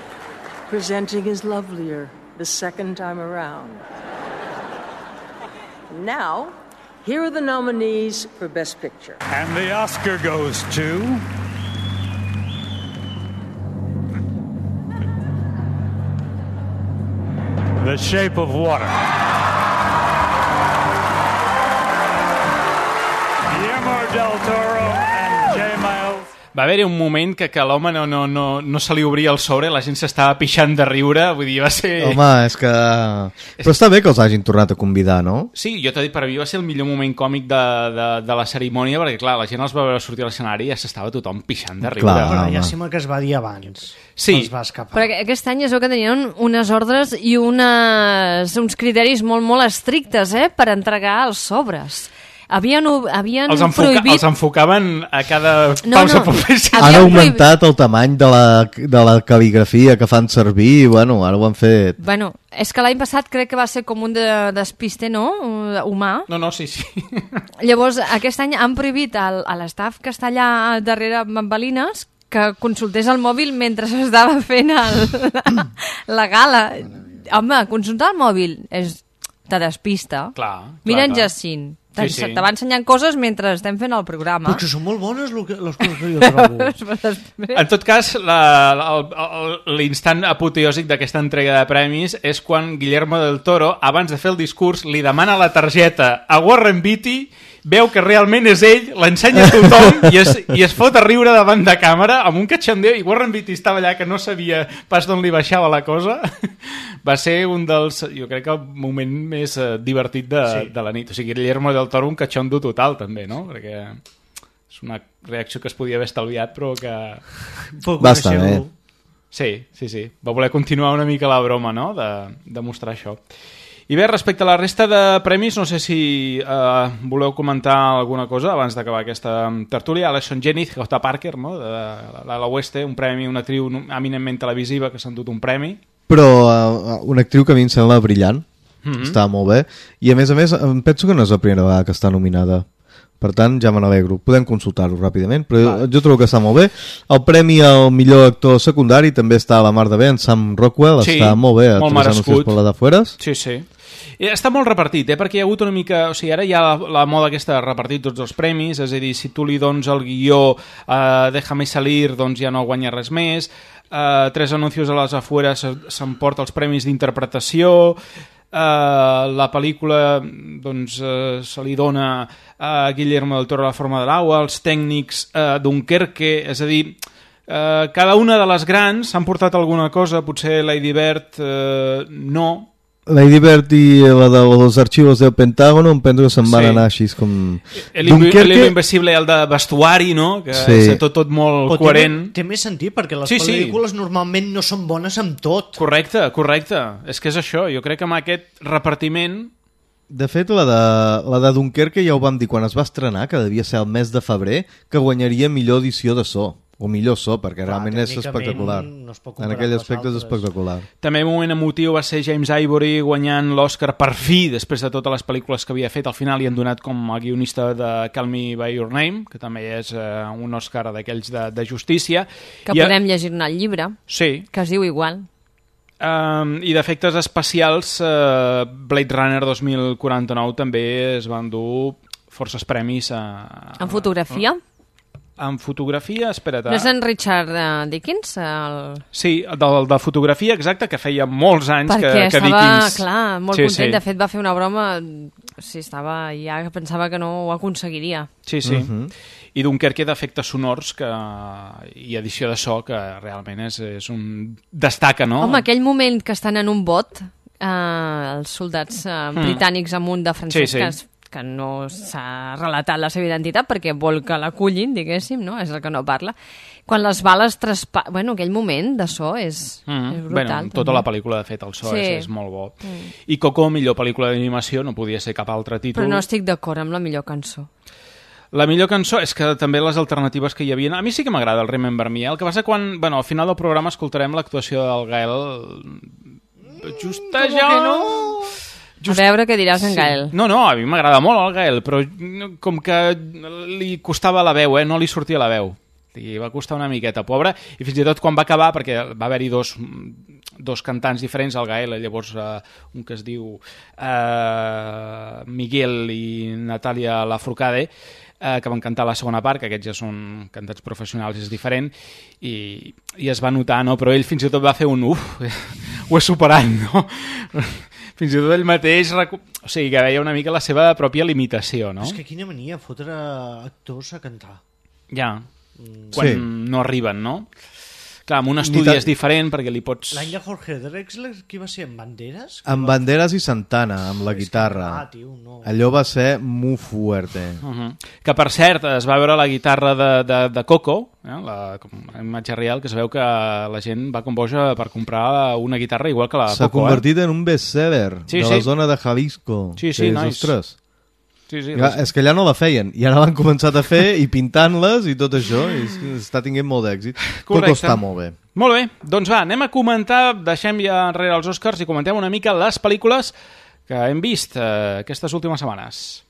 presenting is lovelier the second time around. Now, here are the nominees for Best Picture.
And the Oscar goes to... The Shape of Water. Guillermo del Toro and J. Miles.
Va haver-hi un moment que, que l'home no, no, no, no se li obria el sobre, la gent s'estava pixant de riure, vull dir, va ser...
Home, és que... Però està bé que els hagin tornat a convidar, no?
Sí, jo t'he dit, per a mi va ser el millor moment còmic de, de, de la cerimònia, perquè, clar, la gent els va veure sortir a l'escenari i ja s'estava tothom pixant de riure.
Clar.
Bueno,
home.
ja sembla que es va dir abans.
Sí.
Els va escapar.
Però aquest any es veu que tenien unes ordres i unes, uns criteris molt, molt estrictes, eh?, per entregar els sobres. Havien, havien
Els, enfoca,
prohibit...
els enfocaven a cada
No,
pausa
no.
publicitària.
Han
Havien
augmentat el tamany de la, de la cal·ligrafia que fan servir i, bueno, ara ho han fet...
Bueno, és que l'any passat crec que va ser com un de, despiste, no?, humà.
No, no, sí, sí.
Llavors, aquest any han prohibit al, a l'estaf que està allà darrere bambalines que consultés el mòbil mentre s'estava fent el, la, la gala. Home, consultar el mòbil és, te despista.
Clar,
Mira
clar,
en
clar.
Jacint.
Sí, sí.
Te va ensenyant coses mentre estem fent el programa.
Però que són molt bones lo que, les coses que jo trobo.
En tot cas, la- la- el- el- l'instant apoteòsic d'aquesta entrega de premis és quan Guillermo del Toro, abans de fer el discurs, li demana la targeta a Warren Beatty, veu que realment és ell, l'ensenya a tothom i es, i es fot a riure davant de càmera amb un cachondeo, i Warren Beatty estava allà que no sabia pas d'on li baixava la cosa. Va ser un dels, jo crec que el moment més eh, divertit de, sí. de la nit. O sigui, Guillermo del Toro un cachondo total també, no? Perquè és una reacció que es podia haver estalviat però que...
Va estar bé.
Sí, sí, sí. Va voler continuar una mica la broma, no?, de, de mostrar això. I bé, respecte a la resta de premis, no sé si eh, voleu comentar alguna cosa abans d'acabar aquesta tertúlia. Alison Janney, J. Parker, no?, de la, la Oeste, un premi, una actriu eminentment televisiva que s'ha endut un premi.
Però uh, una actriu que a mi em sembla brillant, mm-hmm. Està molt bé, i a més a més em penso que no és la primera vegada que està nominada. Per tant, ja me n'alegro. Podem consultar-ho ràpidament, però jo, jo trobo que està molt bé. El premi al millor actor secundari també està a la mar de bé, en Sam Rockwell, sí, està molt bé a
molt
Tres anuncis per la d'afueres.
Sí, sí. I està molt repartit, eh? Perquè hi ha hagut una mica... O sigui, ara hi ha la, la moda aquesta de repartir tots els premis, és a dir, si tu li dones el guió eh, Déjame salir, doncs ja no guanya res més. Eh, Tres anuncios a les afueres s'emporta els premis d'interpretació. Uh, la pel·lícula doncs, uh, se li dona a Guillermo del Toro La forma de l'aigua, els tècnics uh, Dunkerque, és a dir, uh, cada una de les grans s'han portat alguna cosa, potser Lady Bird uh, no.
Lady Bird i la de los archivos del Pentágono em penso que se'n van
Sí.
anar així com...
El Dunkerque... Invisible, el de vestuari, no? Que
Sí.
és tot, tot molt
Però
coherent.
Té, té més sentit, perquè les
Sí, sí.
pel·lícules normalment no són bones amb tot.
Correcte, correcte. És que és això. Jo crec que amb aquest repartiment...
De fet, la de, la de Dunkerque ja ho vam dir quan es va estrenar, que devia ser el mes de febrer, que guanyaria millor edició de so. O millor so, perquè
Clar,
realment és
tècnicament
espectacular.
no es pot
En
comparar
aquell
amb les
aspecte és
altres.
espectacular.
També un moment emotiu va ser James Ivory guanyant l'Oscar per fi, després de totes les pel·lícules que havia fet. Al final li han donat com a guionista de Call Me By Your Name, que també és eh, un Oscar d'aquells de, de justícia.
Que
I,
podem llegir-ne el llibre,
Sí.
que es diu igual.
Um, I d'efectes especials, uh, Blade Runner dos mil quaranta-nou també es van dur forces premis a...
En fotografia?
En fotografia, espera't...
No és en Richard uh, Dickens? El...
Sí, del, de fotografia, exacte, que feia molts anys
Perquè
que, que
estava,
Dickens...
clar, molt
Sí,
content.
sí.
De fet, va fer una broma... Sí, estava ja que pensava que no ho aconseguiria.
Sí, sí.
Mhm.
I Dunkerque d'efectes sonors que... i edició de so que realment és, és un... destaca, no?
Home, aquell moment que estan en un bot, eh, els soldats eh,
Mm.
britànics amb un de francès
Sí, sí.
que, es, que no s'ha relatat la seva identitat perquè vol que l'acullin, diguéssim, no? És el que no parla. Quan les bales traspa... Bueno, aquell moment de so és,
Mm.
és brutal.
Bueno, tota
també.
la pel·lícula, de fet, el so
Sí.
és, és molt bo.
Mm.
I Coco, millor pel·lícula d'animació, no podia ser cap altre títol.
Però no estic d'acord amb la millor cançó.
La millor cançó és que també les alternatives que hi havia... A mi sí que m'agrada el Remember Me. El que passa quan... Bueno, al final del programa escoltarem l'actuació del Gael... Just allò...
que no?
Just...
A veure què diràs en Gael.
No, no, a mi m'agrada molt el Gael, però com que li costava la veu, eh? No li sortia la veu. I va costar una miqueta, pobre, i fins i tot quan va acabar, perquè va haver-hi dos, dos cantants diferents, el Gael, llavors uh, un que es diu uh, Miguel i Natàlia Lafourcade, uh, que van cantar la segona part, que aquests ja són cantats professionals, és diferent, i, i es va notar, no? Però ell fins i tot va fer un uf, ho he superat, no? Fins i tot ell mateix, recu... o sigui, que veia una mica la seva pròpia limitació, no?
És que quina mania fotre actors a cantar.
Ja, quan
Sí.
no arriben, no? Clar, amb un estudi
ta-
és diferent perquè li pots...
L'any de Jorge Drexler, qui va ser? En Banderas?
Amb Banderas i Santana, amb la
És que,
guitarra.
clar, tio, no.
Allò va ser muy fuerte.
Uh -huh. Que, per cert, es va veure la guitarra de, de, de Coco, eh? La com, la imatge real, que es veu que la gent va com boja per comprar una guitarra igual que la
S'ha
Coco,
convertit en un bestseller
Sí,
de
sí.
la zona de Jalisco.
Sí, sí,
que és,
nice.
Ostres,
eh? Sí, sí,
ja, és que allà no la feien, i ara l'han començat a fer i pintant-les i tot això, i és- està tinguent molt d'èxit.
Correcte.
Coco està molt bé.
Molt bé, doncs va, anem a comentar, deixem ja enrere els Oscars i comentem una mica les pel·lícules que hem vist eh, aquestes últimes setmanes.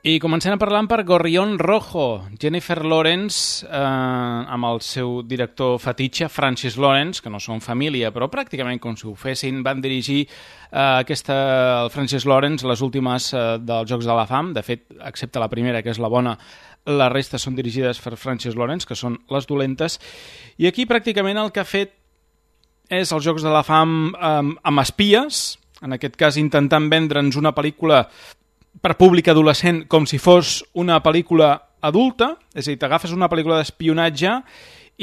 I comencem parlant per Gorrión Rojo, Jennifer Lawrence, eh, amb el seu director fetitxe, Francis Lawrence, que no són família, però pràcticament com si ho fessin, van dirigir eh, aquesta, el Francis Lawrence les últimes eh, dels Jocs de la Fam. De fet, excepte la primera, que és la bona, la resta són dirigides per Francis Lawrence, que són les dolentes. I aquí pràcticament el que ha fet és els Jocs de la Fam eh, amb espies, en aquest cas intentant vendre'ns una pel·lícula per públic adolescent com si fos una pel·lícula adulta, és a dir, t'agafes una pel·lícula d'espionatge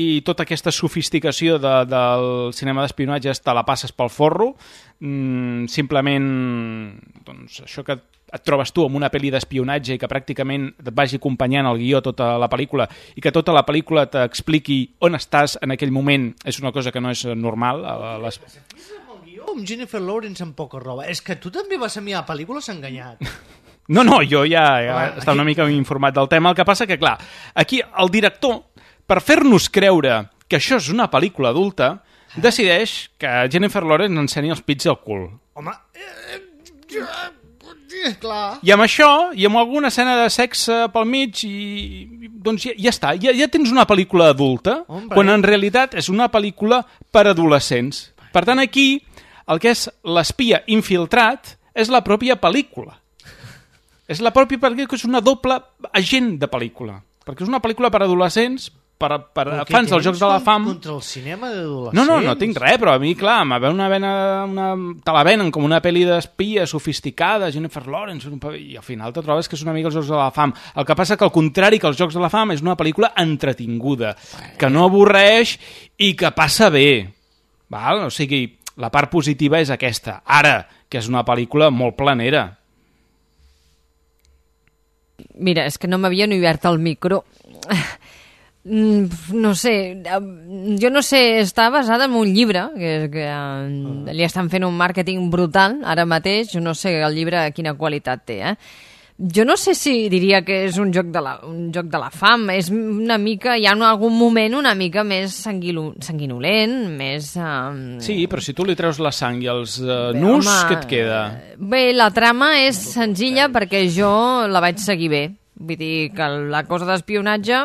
i tota aquesta sofisticació de, del cinema d'espionatge te la passes pel forro, mm, simplement doncs, això que et trobes tu amb una pel·li d'espionatge i que pràcticament et vagi acompanyant el guió tota la pel·lícula i que tota la pel·lícula t'expliqui on estàs en aquell moment, és una cosa que no és normal. A les...
amb Jennifer Lawrence amb poca roba. És que tu també vas a mirar pel·lícules enganyat.
No, no, jo ja, ja
Home,
estava
aquí...
una mica informat del tema. El que passa que, clar, aquí el director, per fer-nos creure que això és una pel·lícula adulta, decideix que Jennifer Lawrence enceni els pits al cul.
Home, eh, eh, clar.
I amb això, i amb alguna escena de sexe pel mig, i doncs ja, ja està, ja, ja tens una pel·lícula adulta,
Hombre. Quan
en realitat és una pel·lícula per adolescents. Per tant, aquí, el que és l'espia infiltrat és la pròpia pel·lícula. És la pròpia pel·lícula, que és una doble agent de pel·lícula. Perquè és una pel·lícula per adolescents, per, per fans dels Jocs de la Fam.
Contra el cinema d'adolescents?
No, no, no tinc res, però a mi, clar, m'ha ve una vena, una... te la venen com una pel·li d'espia sofisticada, Jennifer Lawrence, un... i al final te trobes que és una mica els Jocs de la Fam. El que passa que, al contrari que els Jocs de la Fam, és una pel·lícula entretinguda, que no avorreix i que passa bé. Val? O sigui, la part positiva és aquesta. Ara, que és una pel·lícula molt planera.
Mira, és que no m'havia ni obert el micro. No sé, jo no sé, està basada en un llibre, que, que uh, li estan fent un màrqueting brutal ara mateix, jo no sé el llibre quina qualitat té, eh? Jo no sé si diria que és un joc de la, un joc de la fam, és una mica, hi ha en algun moment una mica més sanguilo, sanguinolent, més... Um...
Sí, però si tu li treus la sang i els uh, nus, home, què et queda?
Bé, la trama és senzilla perquè jo la vaig seguir bé. Vull dir que la cosa d'espionatge,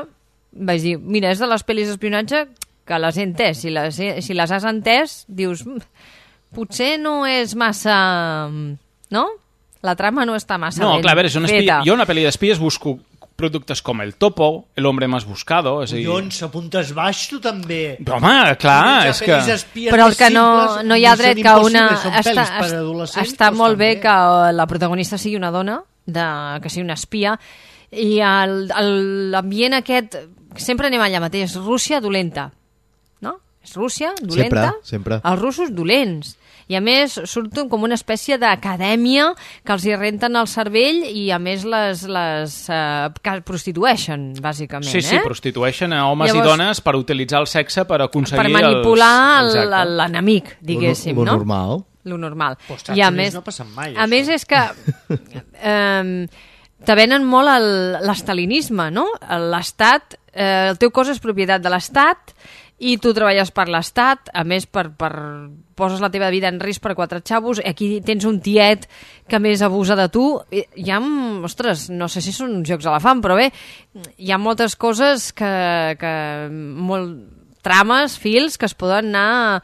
vaig dir, mira, és de les pel·lis d'espionatge que les he entès. Si les, si les has entès, dius, potser no és massa... no? La trama no està massa
no,
ben
clar, a veure, una espia,
feta.
Jo una pel·li d'espies busco productes com El Topo, El hombre más buscado... És a dir...
Collons, apuntes baix tu també.
Però home, clar, és que...
Però el que no, no hi ha dret que una...
Està,
està molt bé que la protagonista sigui una dona, de, que sigui una espia, i l'ambient aquest... Sempre anem allà mateix, Rússia dolenta, no? És Rússia dolenta,
sempre, sempre.
Els russos dolents. I a més surten com una espècie d'acadèmia que els hi renten el cervell i a més les, les uh, prostitueixen, bàsicament.
Sí, sí,
eh?
prostitueixen a homes Llavors, i dones per utilitzar el sexe per aconseguir...
Per manipular
els...
l'enemic, diguéssim,
lo, lo
no?
normal.
Lo normal.
Però
I a més,
no passen mai,
a més és que eh, te venen molt l'estalinisme, no? L'estat, eh, el teu cos és propietat de l'estat i tu treballes per l'estat, a més per, per poses la teva vida en risc per quatre xavos, aquí tens un tiet que més abusa de tu, hi ha, ostres, no sé si són jocs a la fam, però bé, hi ha moltes coses que, que molt, trames, fils que es poden anar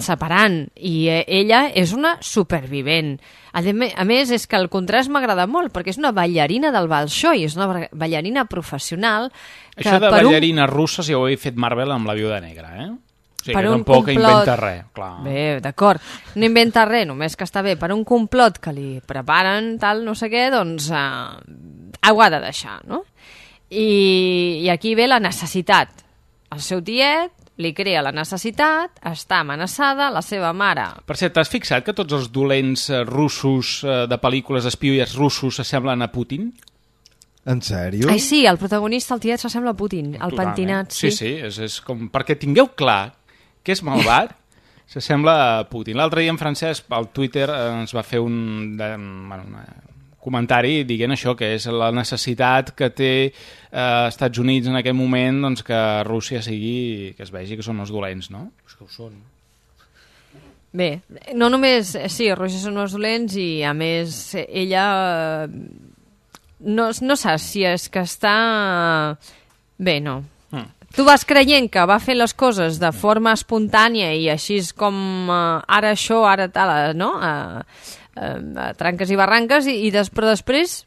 separant, i ella és una supervivent. A més, és que el contrast m'agrada molt, perquè és una ballarina del Bolxoi, és una ballarina professional. Que
Això de
per
ballarines un... russes ja ho he fet Marvel amb la Viuda Negra, eh? O sigui,
per
que
un
tampoc
complot...
inventa res, clar.
Bé, d'acord, no inventa res, només que està bé. Per un complot que li preparen, tal, no sé què, doncs eh, ho ha de deixar, no? I, i aquí ve la necessitat. El seu tiet li crea la necessitat, està amenaçada, la seva mare...
Per cert, t'has fixat que tots els dolents russos de pel·lícules espies russos s'assemblen a Putin?
En sèrio?
Ai, sí, el protagonista, el tiet, s'assembla a Putin, el
Totalment.
pentinat, sí.
Sí, sí, és, és com... Perquè tingueu clar que és malvat, s'assembla a Putin. L'altre dia en Francesc, al Twitter, ens va fer un... De, bueno, una, comentari dient això, que és la necessitat que té eh, Estats Units en aquest moment, doncs que Rússia sigui, que es vegi que són els dolents, no?
Pues que ho són.
Bé, no només, sí, Rússia són els dolents i a més ella no, no saps si és que està... Bé, no.
Mm.
Tu vas creient que va fer les coses de forma espontània i així és com uh, ara això, ara tal, no? Uh, uh, tranques i barranques, i, i des, però després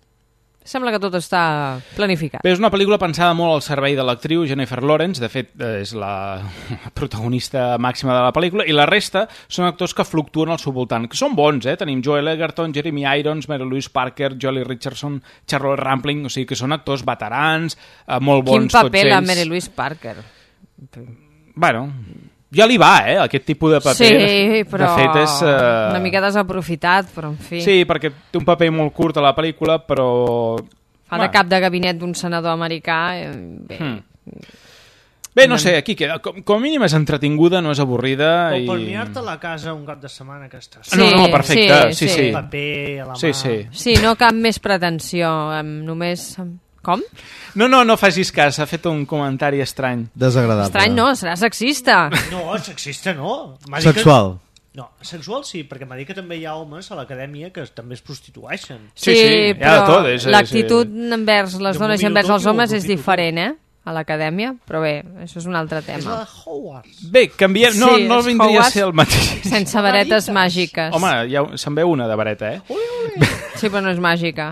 sembla que tot està planificat.
Bé, és una pel·lícula pensada molt al servei de l'actriu Jennifer Lawrence, de fet és la protagonista màxima de la pel·lícula, i la resta són actors que fluctuen al seu voltant, que són bons, eh? Tenim Joel Edgerton, Jeremy Irons, Mary Louise Parker, Jolie Richardson, Charlotte Rampling, o sigui que són actors veterans, eh, molt bons tots ells.
Quin paper la Mary Louise Parker?
Bueno, ja li va, eh, aquest tipus de paper.
Sí, però
de fet és, uh...
una mica desaprofitat, però en fi.
Sí, perquè té un paper molt curt a la pel·lícula, però...
Fa de cap de gabinet d'un senador americà. Eh, bé.
Hmm. Bé, no sé, aquí queda. Com, com a mínim és entretinguda, no és avorrida.
O
i...
per mirar-te a la casa un cap de setmana que estàs.
Sí,
no, no, perfecte, sí, sí. sí.
Un paper a la mà.
Sí, sí.
Sí, no cap més pretensió, només... Com?
No, no, no facis cas, ha fet un comentari estrany.
Desagradable.
Estrany no, serà sexista.
No, sexista no.
Sexual.
Que... No, sexual sí, perquè m'ha dit que també hi ha homes a l'acadèmia que també es prostitueixen.
Sí, sí, sí
però
tot, és,
l'actitud
és...
envers les
Jo
dones i
m'ho
envers
miro
els
tot i ho
homes és
aprofito
diferent, eh? A l'acadèmia, però bé, això és un altre
És
tema.
la Hogwarts.
Bé, canviem... No,
Sí,
no
és
vindria
Hogwarts
a ser el mateix.
Sense varetes màgiques.
Home, ja, se'n veu una de vareta, eh?
Ui, ui.
Sí, però no és màgica.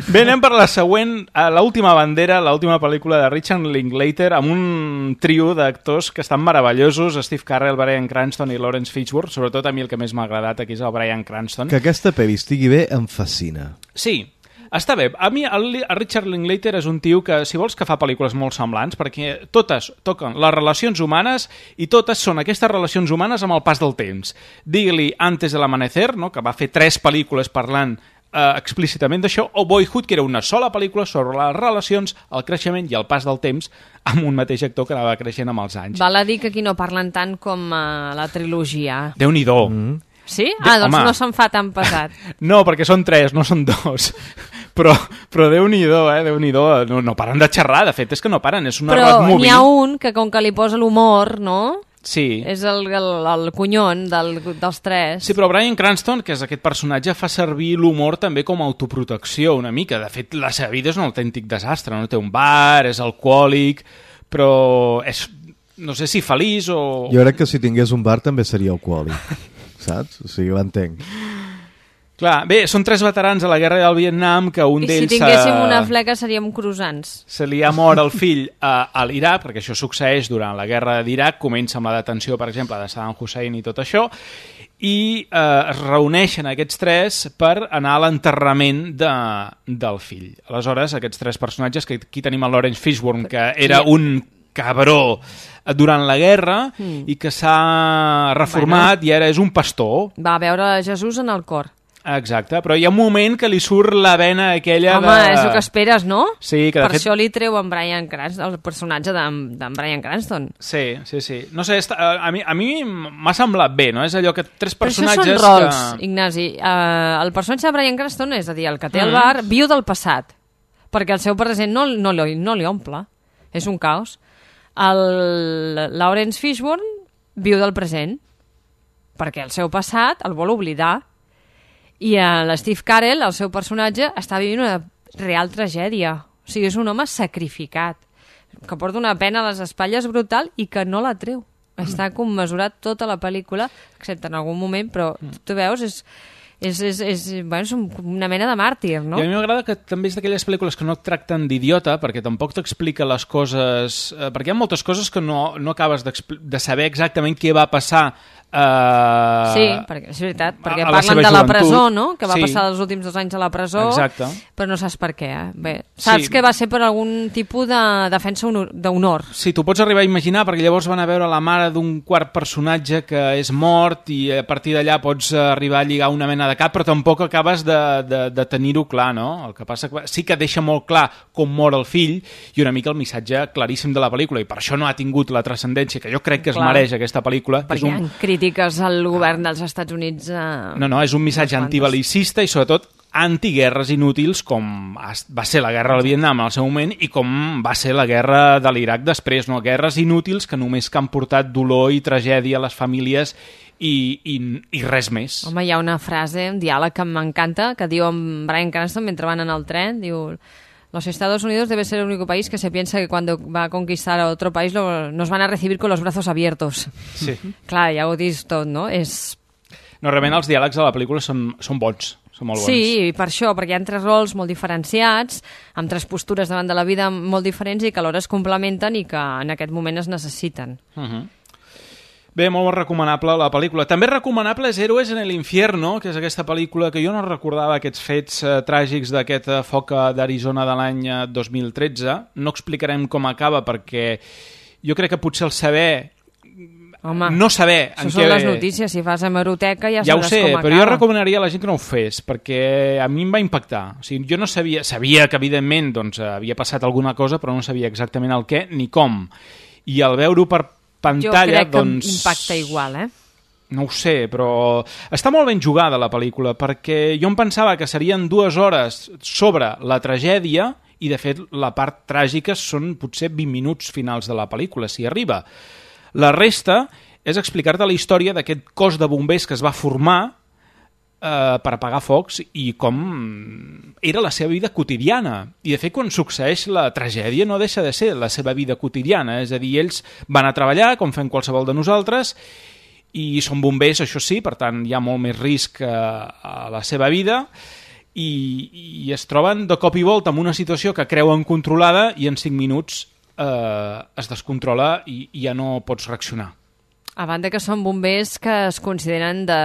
Bé, anem per la següent, a l'última bandera, l'última pel·lícula de Richard Linklater, amb un trio d'actors que estan meravellosos, Steve Carell, Bryan Cranston i Lawrence Fishburne. Sobretot a mi el que més m'ha agradat aquí és el Bryan Cranston.
Que aquesta pel·li estigui bé em fascina.
Sí, està bé. A mi el, el Richard Linklater és un tio que, si vols, que fa pel·lícules molt semblants, perquè totes toquen les relacions humanes i totes són aquestes relacions humanes amb el pas del temps. Digue-li Antes del Amanecer, no?, que va fer tres pel·lícules parlant eh, explícitament d'això, o Boyhood, que era una sola pel·lícula sobre les relacions, el creixement i el pas del temps amb un mateix actor que anava creixent amb els anys.
Val a dir que aquí no parlen tant com uh, la trilogia.
Déu-n'hi-do. Mm.
Sí? Ah, doncs
Home.
no se'n fa tan pesat.
No, perquè són tres, no són dos. Però, però Déu-n'hi-do, eh? Déu-n'hi-do. No, no paren de xerrar, de fet, és que no paren. És una
Però
Ratmovie.
n'hi ha un que com que li posa l'humor, no?
Sí.
És el, el, el conyon del, dels tres.
Sí, però Bryan Cranston, que és aquest personatge, fa servir l'humor també com a autoprotecció una mica. De fet, la seva vida és un autèntic desastre. No té un bar, és alcohòlic, però és, no sé si feliç o...
Jo crec que si tingués un bar també seria alcohòlic, saps? O sigui, l'entenc.
Clar, bé, són tres veterans a la guerra del Vietnam que un
I
d'ells...
si tinguéssim
se...
una fleca seríem croissants.
Se li ha mort el fill a, a l'Iraq, perquè això succeeix durant la guerra d'Iraq, comença amb la detenció, per exemple, de Saddam Hussein i tot això, i eh, es reuneixen aquests tres per anar a l'enterrament de, del fill. Aleshores, aquests tres personatges, que aquí tenim el Lawrence Fishburne, que era un cabró durant la guerra mm. i que s'ha reformat bueno. i ara és un pastor.
Va veure Jesús en el cor.
Exacte, però hi ha un moment que li surt la vena aquella
Home,
de...
Home, és el que esperes, no?
Sí, que de
per
fet...
això li treu en Bryan Cranston, el personatge d'en Bryan Cranston.
Sí, sí, sí. No sé, a mi, a mi m'ha semblat bé, no? És allò que tres personatges...
Però això són rols,
que...
Ignasi. Uh, el personatge de Bryan Cranston, és a dir, el que té el bar, viu del passat, perquè el seu present no, no, li, no li omple. És un caos. El Lawrence Fishburne viu del present, perquè el seu passat el vol oblidar. I l'Steve Carell, el seu personatge, està vivint una real tragèdia. O sigui, és un home sacrificat, que porta una pena a les espatlles brutal i que no la treu. Està commesurat tota la pel·lícula, excepte en algun moment, però tu veus, és, és, és, és, bueno, és una mena de màrtir, no?
I a mi m'agrada que també és d'aquelles pel·lícules que no et tracten d'idiota, perquè tampoc t'explica les coses... Eh, perquè hi ha moltes coses que no, no acabes de saber exactament què va passar. Uh,
sí, perquè, és veritat, perquè parlen de la presó, no? Que va
sí.
passar els últims dos anys a la presó.
Exacte.
Però no saps per què. Eh? Bé, saps
sí.
que va ser per algun tipus de defensa d'honor.
Sí, tu pots arribar a imaginar, perquè llavors van a veure la mare d'un quart personatge que és mort i a partir d'allà pots arribar a lligar una mena de cap, però tampoc acabes de, de, de tenir-ho clar, no? El que passa que sí que deixa molt clar com mor el fill i una mica el missatge claríssim de la pel·lícula, i per això no ha tingut la transcendència que jo crec que es clar. mereix aquesta pel·lícula.
Perquè
és un...
crítiques al govern dels Estats Units... Eh,
no, no, és un missatge antibelicista i sobretot antiguerres inútils com va ser la guerra del Vietnam al seu moment i com va ser la guerra de l'Iraq després, no? Guerres inútils que només que han portat dolor i tragèdia a les famílies i, i, i res més.
Home, hi ha una frase, un diàleg que m'encanta, que diu en Bryan Cranston mentre van en el tren, diu: los Estados Unidos debe ser el único país que se piensa que cuando va a conquistar a otro país lo, nos van a recibir con los brazos abiertos.
Sí.
Clar, ja ho dius tot, no? És...
No, realment els diàlegs de la pel·lícula són, són bons, són molt bons.
Sí, i per això, perquè hi ha tres rols molt diferenciats, amb tres postures davant de la vida molt diferents i que alhora es complementen i que en aquest moment es necessiten.
Uh -huh. Bé, molt recomanable la pel·lícula. També recomanable és Héroes en el Infierno, que és aquesta pel·lícula que jo no recordava aquests fets eh, tràgics d'aquest eh, foc d'Arizona de l'any eh, dos mil tretze. No explicarem com acaba perquè jo crec que potser el saber...
Home,
no saber...
això són les notícies, si fas hemeroteca ja,
ja
sabràs
sé,
com acaba.
però jo recomanaria a la gent que no ho fes, perquè a mi em va impactar. O sigui, jo no sabia... Sabia que, evidentment, doncs, havia passat alguna cosa, però no sabia exactament el què ni com. I al veure-ho per pantalla,
jo crec que
doncs...
impacta igual, eh?
No ho sé, però està molt ben jugada la pel·lícula, perquè jo em pensava que serien dues hores sobre la tragèdia i, de fet, la part tràgica són potser vint minuts finals de la pel·lícula, si arriba. La resta és explicar-te la història d'aquest cos de bombers que es va formar eh, per apagar focs i com era la seva vida quotidiana. I, de fet, quan succeeix la tragèdia no deixa de ser la seva vida quotidiana. És a dir, ells van a treballar, com fem qualsevol de nosaltres, i són bombers, això sí, per tant hi ha molt més risc eh, a la seva vida, i, i es troben de cop i volta en una situació que creuen controlada i en cinc minuts eh, es descontrola i, i ja no pots reaccionar.
A banda que són bombers que es consideren de,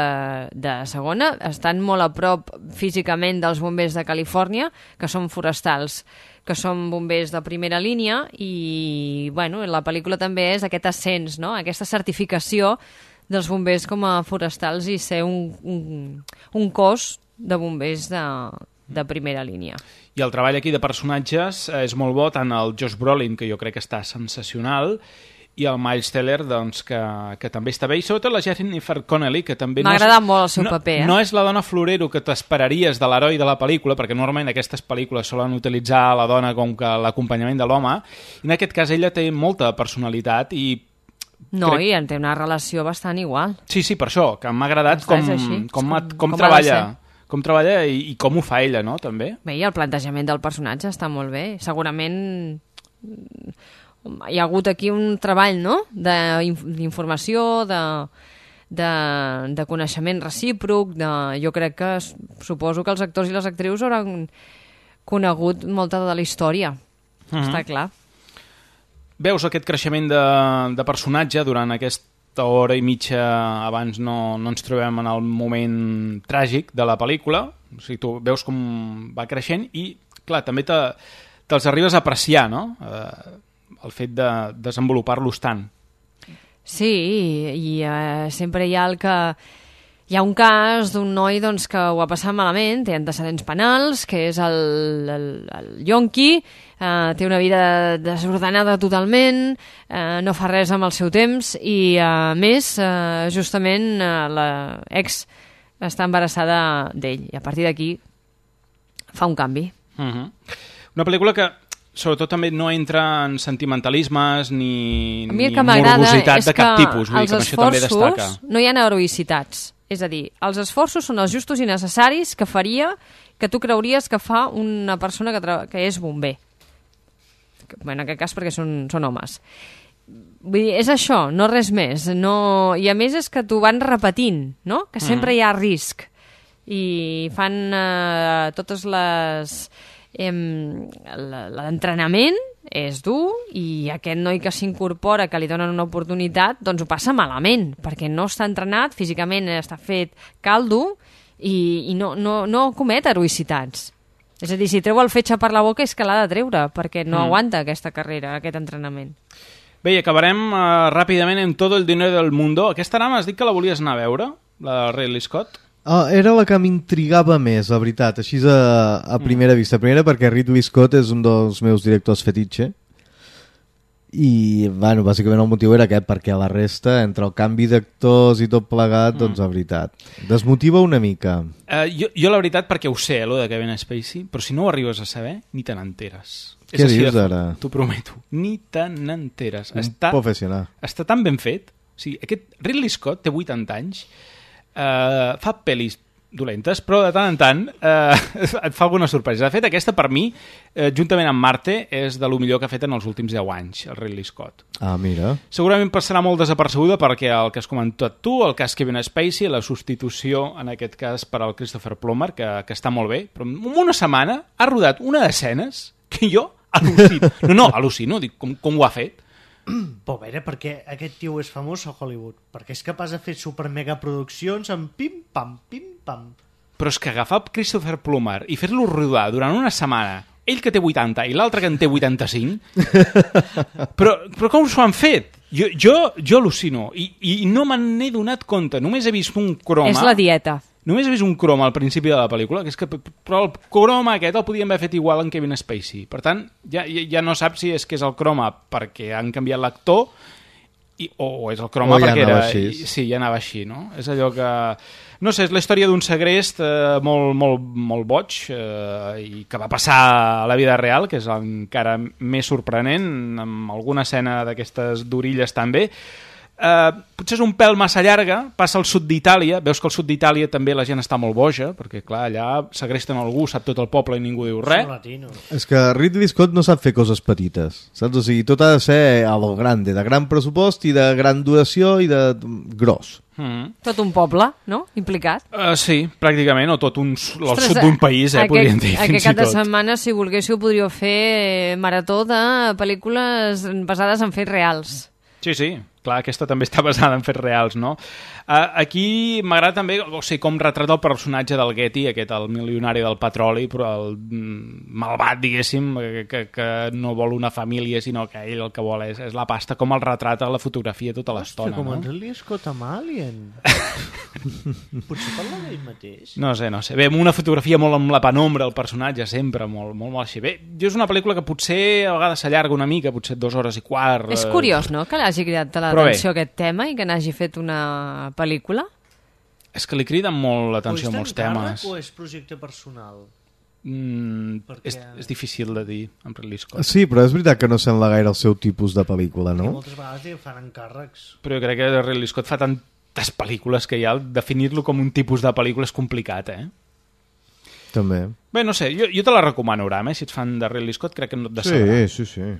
de segona, estan molt a prop físicament dels bombers de Califòrnia, que són forestals, que són bombers de primera línia, i bueno, la pel·lícula també és aquest ascens, no? Aquesta certificació dels bombers com a forestals i ser un, un, un cos de bombers de, de primera línia.
I el treball aquí de personatges és molt bo, tant el Josh Brolin, que jo crec que està sensacional, i el Miles Teller, doncs, que, que també està bé, i sobretot la Jennifer Connelly, que també...
M'ha
no
agradat
és,
molt el seu
no,
paper, eh?
No és la dona florero que t'esperaries de l'heroi de la pel·lícula, perquè normalment aquestes pel·lícules solen utilitzar la dona com que l'acompanyament de l'home, i en aquest cas ella té molta personalitat i...
No,
crec...
i en té una relació bastant igual.
Sí, sí, per això, que m'ha agradat com, com, com, com, com treballa... com treballa i, i com ho fa ella, no?, també.
Bé, i el plantejament del personatge està molt bé. Segurament hi ha hagut aquí un treball, no?, d'informació, de, de, de coneixement recíproc, de, jo crec que suposo que els actors i les actrius hauran conegut molta de la història. Uh-huh. Està clar.
Veus aquest creixement de, de personatge durant aquest hora i mitja abans no, no ens trobem en el moment tràgic de la pel·lícula, o sigui, tu veus com va creixent i, clar, també te, te'ls arribes a apreciar, no?, eh, el fet de desenvolupar-los tant.
Sí, i eh, sempre hi ha el que... Hi ha un cas d'un noi doncs, que ho ha passat malament, té antecedents penals, que és el, el, el Yonki, eh, té una vida desordenada totalment, eh, no fa res amb el seu temps i, a més, eh, justament eh, l'ex està embarassada d'ell i a partir d'aquí fa un canvi.
Uh-huh. Una pel·lícula que sobretot també no entra en sentimentalismes ni, ni morbositat de cap tipus, vull dir que això també destaca.
No hi ha heroïcitats. És a dir, els esforços són els justos i necessaris que faria que tu creuries que fa una persona que, que és bomber. En aquest cas perquè són, són homes. Vull dir, és això, no res més. No... I a més és que t'ho van repetint, no?, que sempre mm. hi ha risc. I fan eh, totes les... Eh, l'entrenament és dur i aquest noi que s'incorpora, que li donen una oportunitat, doncs ho passa malament, perquè no està entrenat, físicament està fet caldo i, i no, no, no comet heroïcitats. És a dir, si treu el fetge per la boca és que l'ha de treure, perquè no mm. aguanta aquesta carrera, aquest entrenament.
Bé, i acabarem uh, ràpidament amb Todo el dinero del mundo. Aquesta ara m'has dit que la volies anar a veure, la Ridley Scott?
Uh, era la que m'intrigava més, la veritat, així a, a primera mm. vista. Primera perquè Ridley Scott és un dels meus directors fetitxe I, bueno, bàsicament el motiu era aquest, perquè a la resta, entre el canvi d'actors i tot plegat, mm. doncs, la veritat, desmotiva una mica.
Uh, jo, jo, la veritat, perquè ho sé, lo de Kevin Spacey, però si no ho arribes a saber, ni te n'enteres.
Què dius ara?
T'ho prometo, ni te n'enteres.
Un
està,
professional.
Està tan ben fet. O sigui, aquest Ridley Scott té vuitanta anys, uh, fa pel·lis dolentes, però de tant en tant eh, et fa alguna sorpresa. De fet, aquesta per mi, eh, juntament amb Marte, és de lo millor que ha fet en els últims deu anys, el Ridley Scott.
Ah, mira. Segurament
passarà molt desapercebuda perquè el que has comentat tu, el cas Kevin Spacey, la substitució, en aquest cas, per al Christopher Plummer, que, que està molt bé, però en una setmana ha rodat una d'escenes que jo al·lucino. No, no, al·lucino, dic, com, com ho ha fet?
Però a veure, perquè aquest tio és famós a Hollywood? Perquè és capaç de fer super mega produccions amb pim-pam, pim-pam.
Però és que agafar Christopher Plummer i fer-lo rodar durant una setmana, ell que té vuitanta i l'altre que en té vuitanta-cinc, però, però com s'ho han fet? Jo, jo, jo al·lucino i, i no me n'he donat compte, només he vist un croma...
És la dieta.
Només he vist un croma al principi de la pel·lícula, que és que, però el croma aquest el podien haver fet igual en Kevin Spacey. Per tant, ja, ja no saps si és que és el croma perquè han canviat l'actor i, o, o és el croma
o ja
perquè era...
Així.
Sí, ja anava així, no? És allò que... No sé, és la història d'un segrest eh, molt, molt, molt boig eh, i que va passar a la vida real, que és encara més sorprenent, amb alguna escena d'aquestes d'orilles també. Uh, potser és un pèl massa llarga, passa al sud d'Itàlia, veus que al sud d'Itàlia també la gent està molt boja, perquè clar, allà segresten algú, sap tot el poble i ningú diu res.
És que Ridley Scott no sap fer coses petites, saps? O sigui, tot ha de ser a lo grande, de gran pressupost i de gran duració i de gros.
Mm. Tot un poble, no? Implicat.
Uh, sí, pràcticament, o tot un, el Ostres, sud d'un país, eh, podríem dir, fins i tot.
Aquest cap de setmana, si volguéssiu, podríeu fer marató de pel·lícules basades en fets reals.
Sí, sí, clar, aquesta també està basada en fets reals, no? Uh, aquí m'agrada també, o sigui, com retrata el personatge del Getty, aquest, el milionari del petroli, però el malvat, diguéssim, que, que, que no vol una família, sinó que ell el que vol és, és la pasta, com el retrata la fotografia tota l'estona.
Ostres, com
no?
en Ridley Scott amb Alien. Potser parla d'ell mateix?
No sé, no sé. Bé, amb una fotografia molt amb la penombra, el personatge, sempre, molt, molt, molt així. Bé, jo és una pel·lícula que potser a vegades s'allarga una mica, potser dues hores i quart.
És curiós, no?, que l'hagi cridat l'atenció aquest tema i que n'hagi fet una pel·lícula?
És que li criden molt l'atenció a molts temes.
O és projecte personal?
Mm, Perquè... és, és difícil de dir amb Ridley Scott.
Sí, però és veritat que no sembla gaire el seu tipus de pel·lícula, no?
I moltes vegades li fan encàrrecs.
Però jo crec que Ridley Scott fa tantes pel·lícules que ja definir-lo com un tipus de pel·lícula és complicat, eh?
També.
Bé, no sé, jo, jo te la recomano, Ram, eh? Si ets fan de Ridley Scott crec que no et decebrà.
Sí, sí, sí.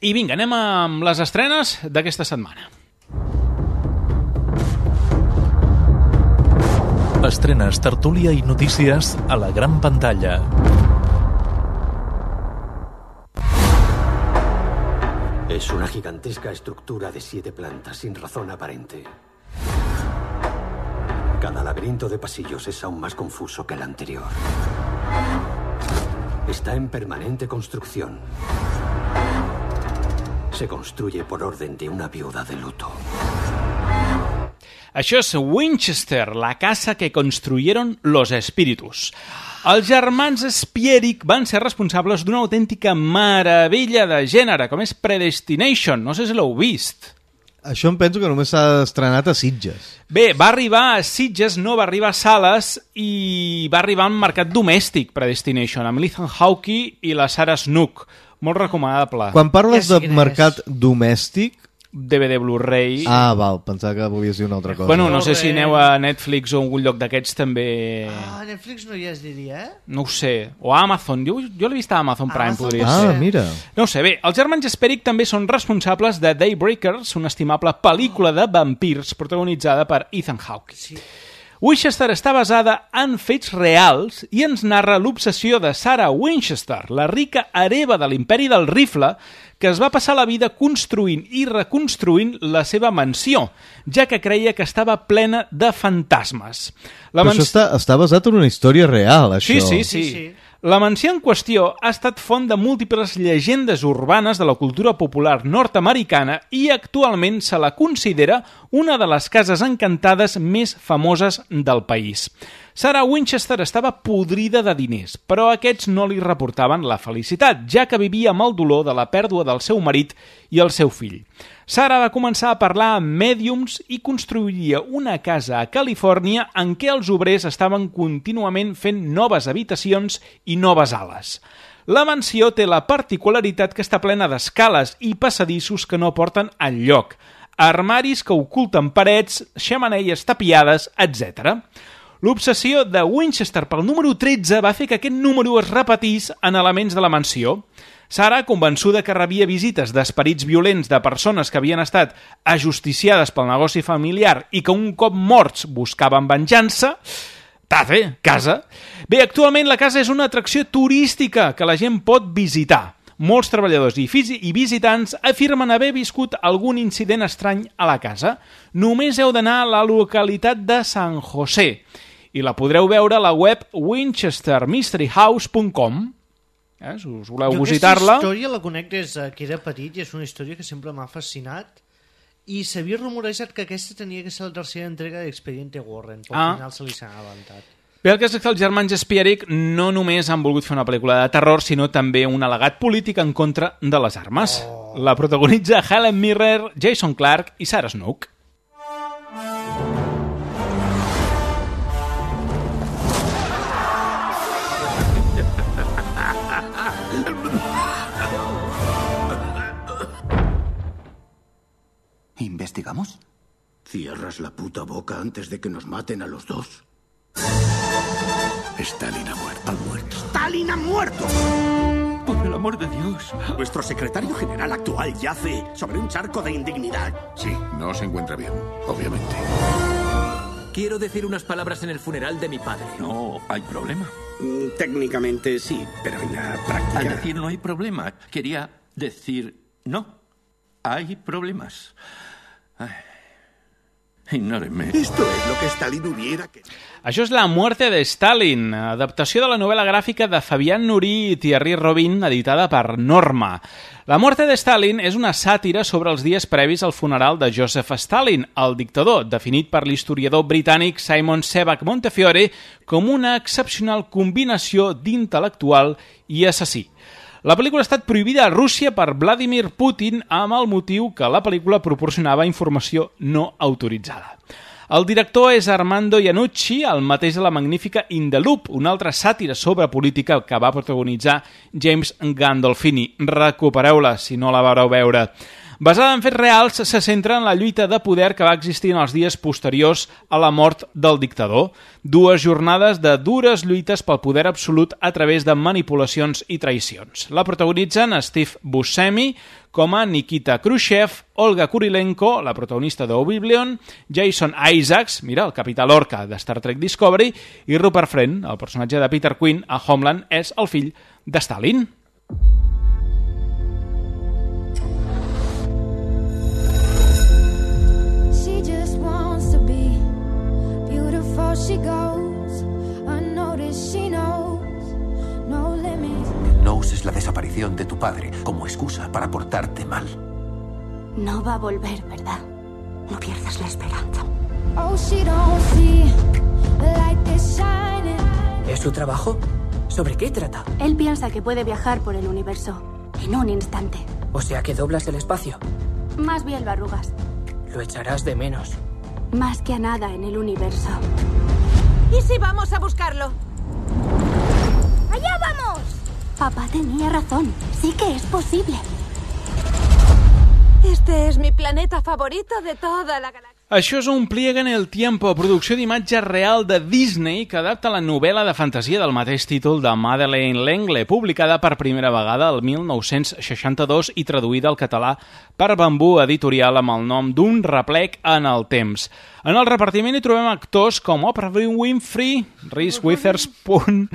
I vinga, anem amb les estrenes d'aquesta setmana.
Estrenes, tertúlia i notícies a la gran pantalla.
Es una gigantesca estructura de siete plantas sin razón aparente. Cada laberinto de pasillos es aún más confuso que el anterior. Está en permanente construcción. Se construye por orden de una viuda de luto.
Això és Winchester, la casa que construyeron los espíritus. Els germans Spierig van ser responsables d'una autèntica meravella de gènere, com és Predestination. No sé si l'heu vist.
Això em penso que només s'ha estrenat a Sitges.
Bé, va arribar a Sitges, no va arribar a sales i va arribar al mercat domèstic, Predestination, amb l'Ethan Hawke i la Sarah Snook. Molt recomanable.
Quan parles ja de mercat domèstic...
D V D Blu-ray...
Ah, val, pensava que volies dir una altra cosa.
Bueno, no sé si aneu a Netflix o algun lloc d'aquests també...
Ah, Netflix no hi es diria, eh?
No ho sé. O a Amazon. Jo, jo l'he vist a Amazon Prime,
Amazon
podria
ah,
ser.
Ah, mira.
No ho sé. Bé, els germans Spierig també són responsables de Daybreakers, una estimable pel·lícula de vampirs protagonitzada per Ethan Hawke.
Sí.
Winchester està basada en fets reals i ens narra l'obsessió de Sarah Winchester, la rica hereva de l'imperi del rifle, que es va passar la vida construint i reconstruint la seva mansió, ja que creia que estava plena de fantasmes. La
Però
mans...
això està, està basat en una història real, això.
Sí, sí, sí. sí, sí. La mansió en qüestió ha estat font de múltiples llegendes urbanes de la cultura popular nord-americana i actualment se la considera una de les cases encantades més famoses del país. Sarah Winchester estava podrida de diners, però aquests no li reportaven la felicitat, ja que vivia amb el dolor de la pèrdua del seu marit i el seu fill. Sarah va començar a parlar amb mèdiums i construiria una casa a Califòrnia en què els obrers estaven contínuament fent noves habitacions i noves ales. La mansió té la particularitat que està plena d'escales i passadissos que no porten enlloc, armaris que oculten parets, xemeneies tapiades, etcètera. L'obsessió de Winchester pel número tretze va fer que aquest número es repetís en elements de la mansió. Sarah, convençuda que rebia visites d'esperits violents de persones que havien estat ajusticiades pel negoci familiar i que un cop morts buscaven venjança, tafe, casa. Bé, actualment la casa és una atracció turística que la gent pot visitar. Molts treballadors i, i visitants afirmen haver viscut algun incident estrany a la casa. Només heu d'anar a la localitat de San José i la podreu veure a la web winchester mystery house punt com. Eh, si us voleu visitar-la...
Jo aquesta història la conec des que era petit i és una història que sempre m'ha fascinat i s'havia rumorejat que aquesta tenia que ser la tercera entrega d'Expediente Warren, però
ah.
al final se li s'ha avançat.
Bé, el cas és que els germans Spierick no només han volgut fer una pel·lícula de terror, sinó també un al·legat polític en contra de les armes. Oh. La protagonitza Helen Mirren, Jason Clarke i Sarah Snook.
¿Investigamos? ¿Cierras la puta boca antes de que nos maten a los dos? Stalin ha muerto. Ha muerto. ¡Stalin ha muerto! Por el amor de Dios.
Nuestro secretario general actual yace sobre un charco de indignidad.
Sí, no se encuentra bien, obviamente.
Quiero decir unas palabras en el funeral de mi padre.
No hay problema.
Mm, técnicamente sí, pero en la práctica...
Al decir no hay problema, quería decir no. Hay problemas. Ay. Ignórenme.
Esto es lo que Stalin hubiera... Que...
Això és La muerte de Stalin, adaptació de la novel·la gràfica de Fabián Nurí i Thierry Robin, editada per Norma. La muerte de Stalin és una sàtira sobre els dies previs al funeral de Joseph Stalin, el dictador, definit per l'historiador britànic Simon Sebag Montefiore com una excepcional combinació d'intel·lectual i assassí. La pel·lícula ha estat prohibida a Rússia per Vladimir Putin amb el motiu que la pel·lícula proporcionava informació no autoritzada. El director és Armando Iannucci, el mateix de la magnífica In the Loop, una altra sàtira sobre política que va protagonitzar James Gandolfini. Recupereu-la si no la vareu veure. Basada en fets reals, se centra en la lluita de poder que va existir en els dies posteriors a la mort del dictador. Dues jornades de dures lluites pel poder absolut a través de manipulacions i traïcions. La protagonitzen Steve Buscemi com a Nikita Khrushchev, Olga Kurilenko, la protagonista d'Oblivion, Jason Isaacs, mira, el capità Lorca de Star Trek Discovery, i Rupert Friend, el personatge de Peter Quinn a Homeland, és el fill de Stalin.
She goes unnoticed, she knows no limits.
No uses la desaparición de tu padre como excusa para portarte mal.
No va a volver, ¿verdad? No pierdas la esperanza. Oh, she don't see the light is shining.
¿Es su trabajo? ¿Sobre qué trata?
Él piensa que puede viajar por el universo en un instante.
O sea que doblas el espacio.
Más bien lo arrugas.
Lo echarás de menos.
Más que a nada en el universo.
¿Y si vamos a buscarlo?
¡Allá vamos! Papá tenía razón. Sí que es posible.
Este es mi planeta favorito de toda la galaxia.
Això és un Pliega en el Tiempo, producció d'imatge real de Disney que adapta la novel·la de fantasia del mateix títol de Madeleine L'Engle, publicada per primera vegada el mil nou-cents seixanta-dos i traduïda al català per Bambú Editorial amb el nom d'Un replec en el temps. En el repartiment hi trobem actors com Oprah Winfrey, Reese Witherspoon,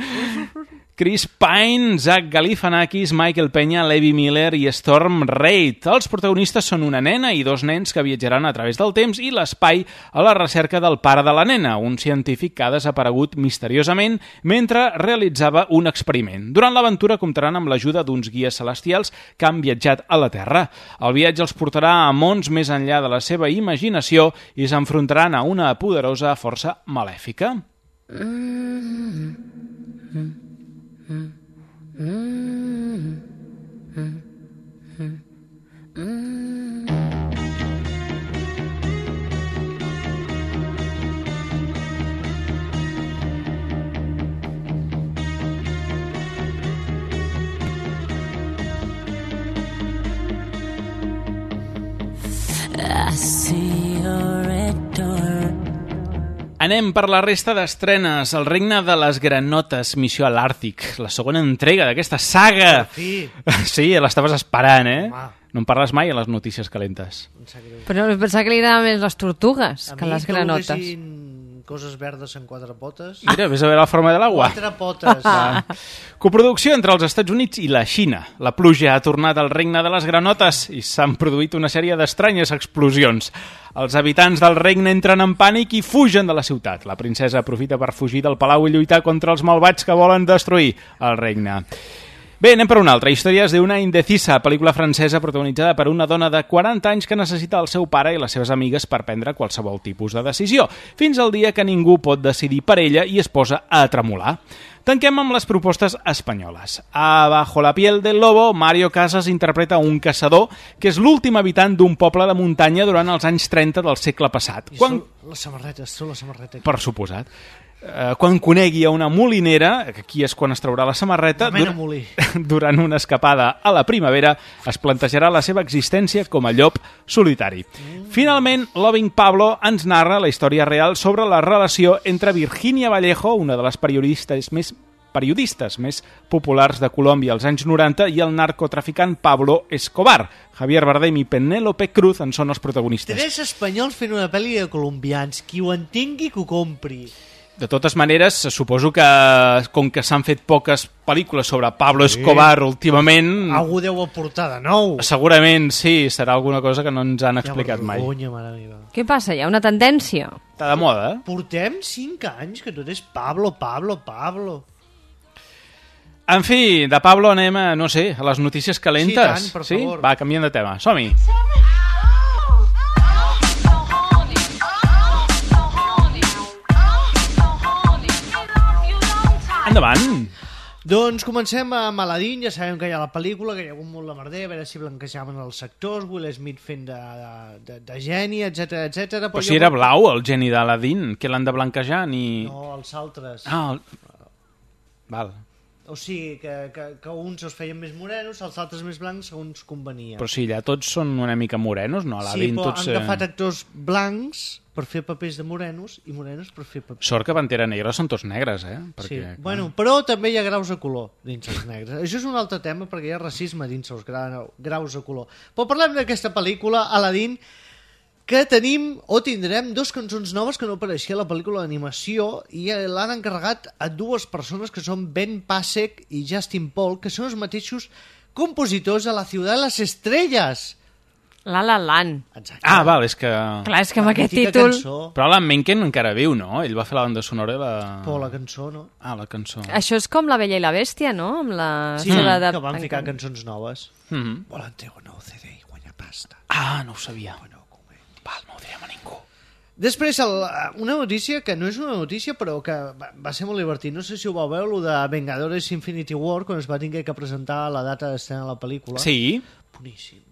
Chris Pine, Zach Galifianakis, Michael Peña, Levi Miller i Storm Reid. Els protagonistes són una nena i dos nens que viatjaran a través del temps i l'espai a la recerca del pare de la nena, un científic que ha desaparegut misteriosament mentre realitzava un experiment. Durant l'aventura comptaran amb l'ajuda d'uns guies celestials que han viatjat a la Terra. El viatge els portarà a mons més enllà de la seva imaginació i s'enfrontaran a una poderosa força malèfica.
I see your red door.
Anem per la resta d'estrenes. El regne de les granotes, missió a l'Àrtic. La segona entrega d'aquesta saga.
Per fi.
Sí, l'estaves esperant, eh? Home. No en parles mai a les notícies calentes.
Però pensava que li agraden més les tortugues
A
que
mi
les
que
granotes.
volguessin coses verdes en quatre potes.
Mira, ves a veure la forma de l'aigua.
Quatre potes.
Ah. Coproducció entre els Estats Units i la Xina. La pluja ha tornat al regne de les granotes i s'han produït una sèrie d'estranyes explosions. Els habitants del regne entren en pànic i fugen de la ciutat. La princesa aprofita per fugir del palau i lluitar contra els malvats que volen destruir el regne. Bé, anem per una altra. Històries d'una indecisa, pel·lícula francesa protagonitzada per una dona de quaranta anys que necessita el seu pare i les seves amigues per prendre qualsevol tipus de decisió, fins al dia que ningú pot decidir per ella i es posa a tremolar. Tanquem amb les propostes espanyoles. A Bajo la piel del lobo, Mario Casas interpreta un caçador que és l'últim habitant d'un poble de muntanya durant els anys trenta del segle passat.
I Quan... la samarreta, és la samarreta.
Per suposat. Uh, quan conegui a una molinera, que aquí és quan es traurà la samarreta,
Mena
dur...
molí.
durant una escapada a la primavera, es plantejarà la seva existència com a llop solitari. Mm. Finalment, Loving Pablo ens narra la història real sobre la relació entre Virginia Vallejo, una de les periodistes més periodistes més populars de Colòmbia als anys noranta, i el narcotraficant Pablo Escobar. Javier Bardem i Penélope Cruz en són els protagonistes.
Tres espanyols fent una pel·li de colombians. Qui ho entengui, que ho compri.
De totes maneres, suposo que, com que s'han fet poques pel·lícules sobre Pablo Escobar sí. últimament...
Algú deu aportar de nou.
Segurament, sí, serà alguna cosa que no ens han explicat mai.
Vergonya, mare meva.
Què passa? Hi ha una tendència?
Està de moda, eh?
Portem cinc anys que tot és Pablo, Pablo, Pablo.
En fi, de Pablo anem a, no sé, a les notícies calentes.
Sí, tant, per
sí?
favor.
Va, canviem de tema. Som-hi. Endavant.
Doncs comencem amb Aladdin, ja sabem que hi ha la pel·lícula, que hi ha hagut molt de merder, a veure si blanquejaven els sectors, Will Smith fent de, de, de geni, etc etc.
Però si era blau el geni d'Aladdin, que l'han de blanquejar ni...
No, els altres.
Ah, el... val.
O sigui, que, que, que uns els feien més morenos, els altres més blancs, segons convenia.
Però si allà tots són una mica morenos, no? Aladdin,
sí, però
tots,
han agafat actors blancs per fer papers de morenos i morenos per fer papers...
Sort que Pantera Negra són tots negres, eh? Perquè,
sí,
clar...
bueno, però també hi ha graus de color dins els negres. Això és un altre tema perquè hi ha racisme dins els graus de color. Però parlem d'aquesta pel·lícula, Aladdin, que tenim o tindrem dos cançons noves que no apareixia a la pel·lícula d'animació i l'han encarregat a dues persones que són Ben Pasek i Justin Paul, que són els mateixos compositors de La ciudad de las estrellas.
La La Land.
Exacte.
Ah, val, és que...
Clar, és que amb aquest títol...
Cançó.
Però Alan Menken encara viu, no? Ell va fer la banda sonora i la...
Però la cançó, no?
Ah, la cançó.
Això és com La Bella i la Bèstia, no? Amb la...
Sí,
seva de...
que van ficar cançons noves.
Mm-hmm.
Volen treure un nou C D i guanyar pasta.
Ah, no ho sabia. Bueno, val, no ho direm a ningú.
Després, el, una notícia que no és una notícia, però que va, va ser molt divertit. No sé si ho vau veure, el de Vengadores Infinity War, quan es va tenir que presentar la data d'estrena de la pel·lícula.
Sí.
Boníssim.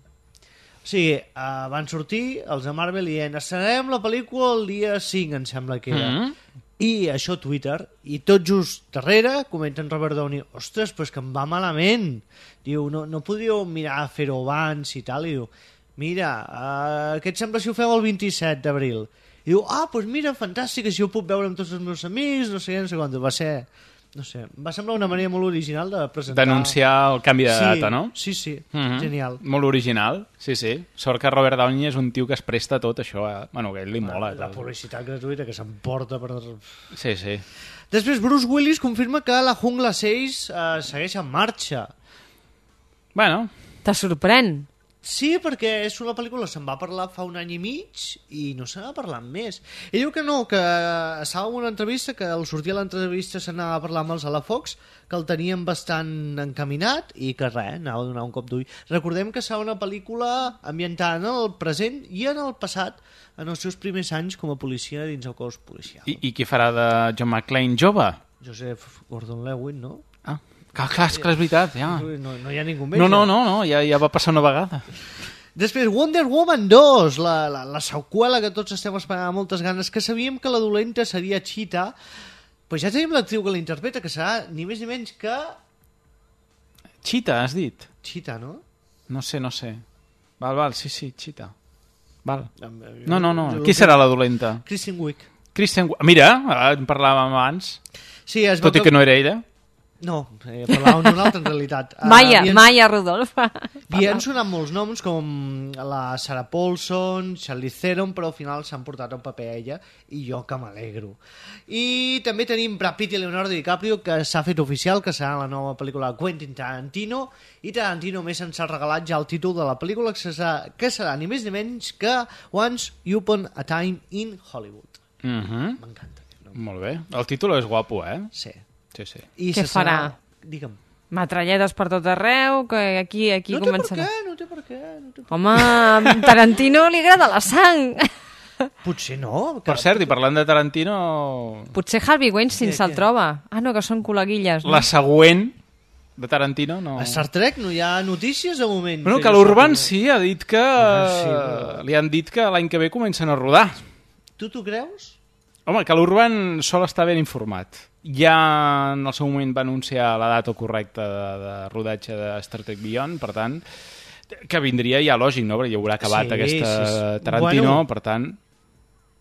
O sigui, uh, van sortir els de Marvel dient estrenarem la pel·lícula el dia cinc, em sembla que era. Mm-hmm. I això a Twitter, i tot just darrere comenten Robert Downey, ostres, però és que em va malament. Diu, no, no podríeu mirar a fer-ho abans i tal, i diu, mira, uh, què et sembla si ho feu el vint-i-set d'abril? I diu, ah, doncs mira, fantàstic, així ho puc veure amb tots els meus amics, no sé què, no sé quant. Va ser, no sé, va semblar una manera molt original de presentar...
D'anunciar el canvi de
sí,
data, no?
Sí, sí,
mm-hmm.
Genial.
Molt original, sí, sí. Sort que Robert Downey és un tio que es presta a tot això, eh? Bueno, que a ell li mola.
La, la publicitat gratuïta que s'emporta per...
Sí, sí.
Després Bruce Willis confirma que la Jungla sis eh, segueix en marxa.
Bueno...
Te sorprèn?
Sí, perquè és una pel·lícula, se'n va parlar fa un any i mig i no se n'ha parlat més. Ell diu que no, que estava en una entrevista, que al sortir a l'entrevista se n'anava a parlar amb els Alafocs, que el tenien bastant encaminat i que res, anava a donar un cop d'ull. Recordem que serà una pel·lícula ambientada en el present i en el passat, en els seus primers anys com a policia dins el cos policial.
I, i qui farà de John McClane jove?
Joseph Gordon-Levitt, no?
Ah, clar, clar, és que és veritat, ja.
No, no hi ha ningú més.
No, no, no, no ja, ja va passar una vegada.
Després, Wonder Woman dos, la, la, la seqüela que tots estem esperant amb moltes ganes, que sabíem que la dolenta seria Cheetah, però ja tenim l'actriu que l'interpreta, que serà ni més ni menys que...
Cheetah, has dit?
Cheetah, no?
No sé, no sé. Val, val, sí, sí, Cheetah. Val.
Jo,
No, no, no.
jo-
Qui serà la dolenta?
Kristen Wiig.
Kristen Wiig. Mira, en parlàvem abans.
Sí, es veu
Tot i que no era ella.
No, eh, parlàvem d'un altre en realitat.
Maya,
Uh, havien-
Maya Rodolfa.
I han sonat molts noms com la Sarah Paulson, Charlize Theron, però al final s'han portat un paper a ella i jo que m'alegro. I també tenim Brad Pitt i Leonardo DiCaprio, que s'ha fet oficial, que serà la nova pel·lícula de Quentin Tarantino, i Tarantino més ens ha regalat ja el títol de la pel·lícula, que serà, que serà ni més ni menys que Once Upon a Time in Hollywood.
Mhm.
M'encanta.
Molt bé. El títol és guapo, eh?
Sí.
Sí, sí.
I
Què
se
farà?
serà- Digue'm.
Matralletes per tot arreu, que aquí, aquí
No té per
començarà.
què, no té per què. No té per...
Home, a Tarantino li agrada la sang.
Potser no.
Per cert, i parlant de Tarantino...
Potser Harvey Weinstein
Què,
se'l
què?
troba. Ah, no, que són col·leguilles. No?
La següent de Tarantino no...
A Star Trek no hi ha notícies de moment.
Bueno,
que
que
jo
l'Urban
sàpiga.
sí, ha dit que...
sí, però-
Li han dit que l'any que ve comencen a rodar.
Tu t'ho creus?
Home, que l'Urban sol estar ben informat. Ja en el seu moment va anunciar la data correcta de, de rodatge de Star Trek Beyond, per tant, que vindria ja lògic, no? Perquè ja haurà acabat
Sí,
aquesta
sí, sí.
Tarantino,
Bueno.
per tant...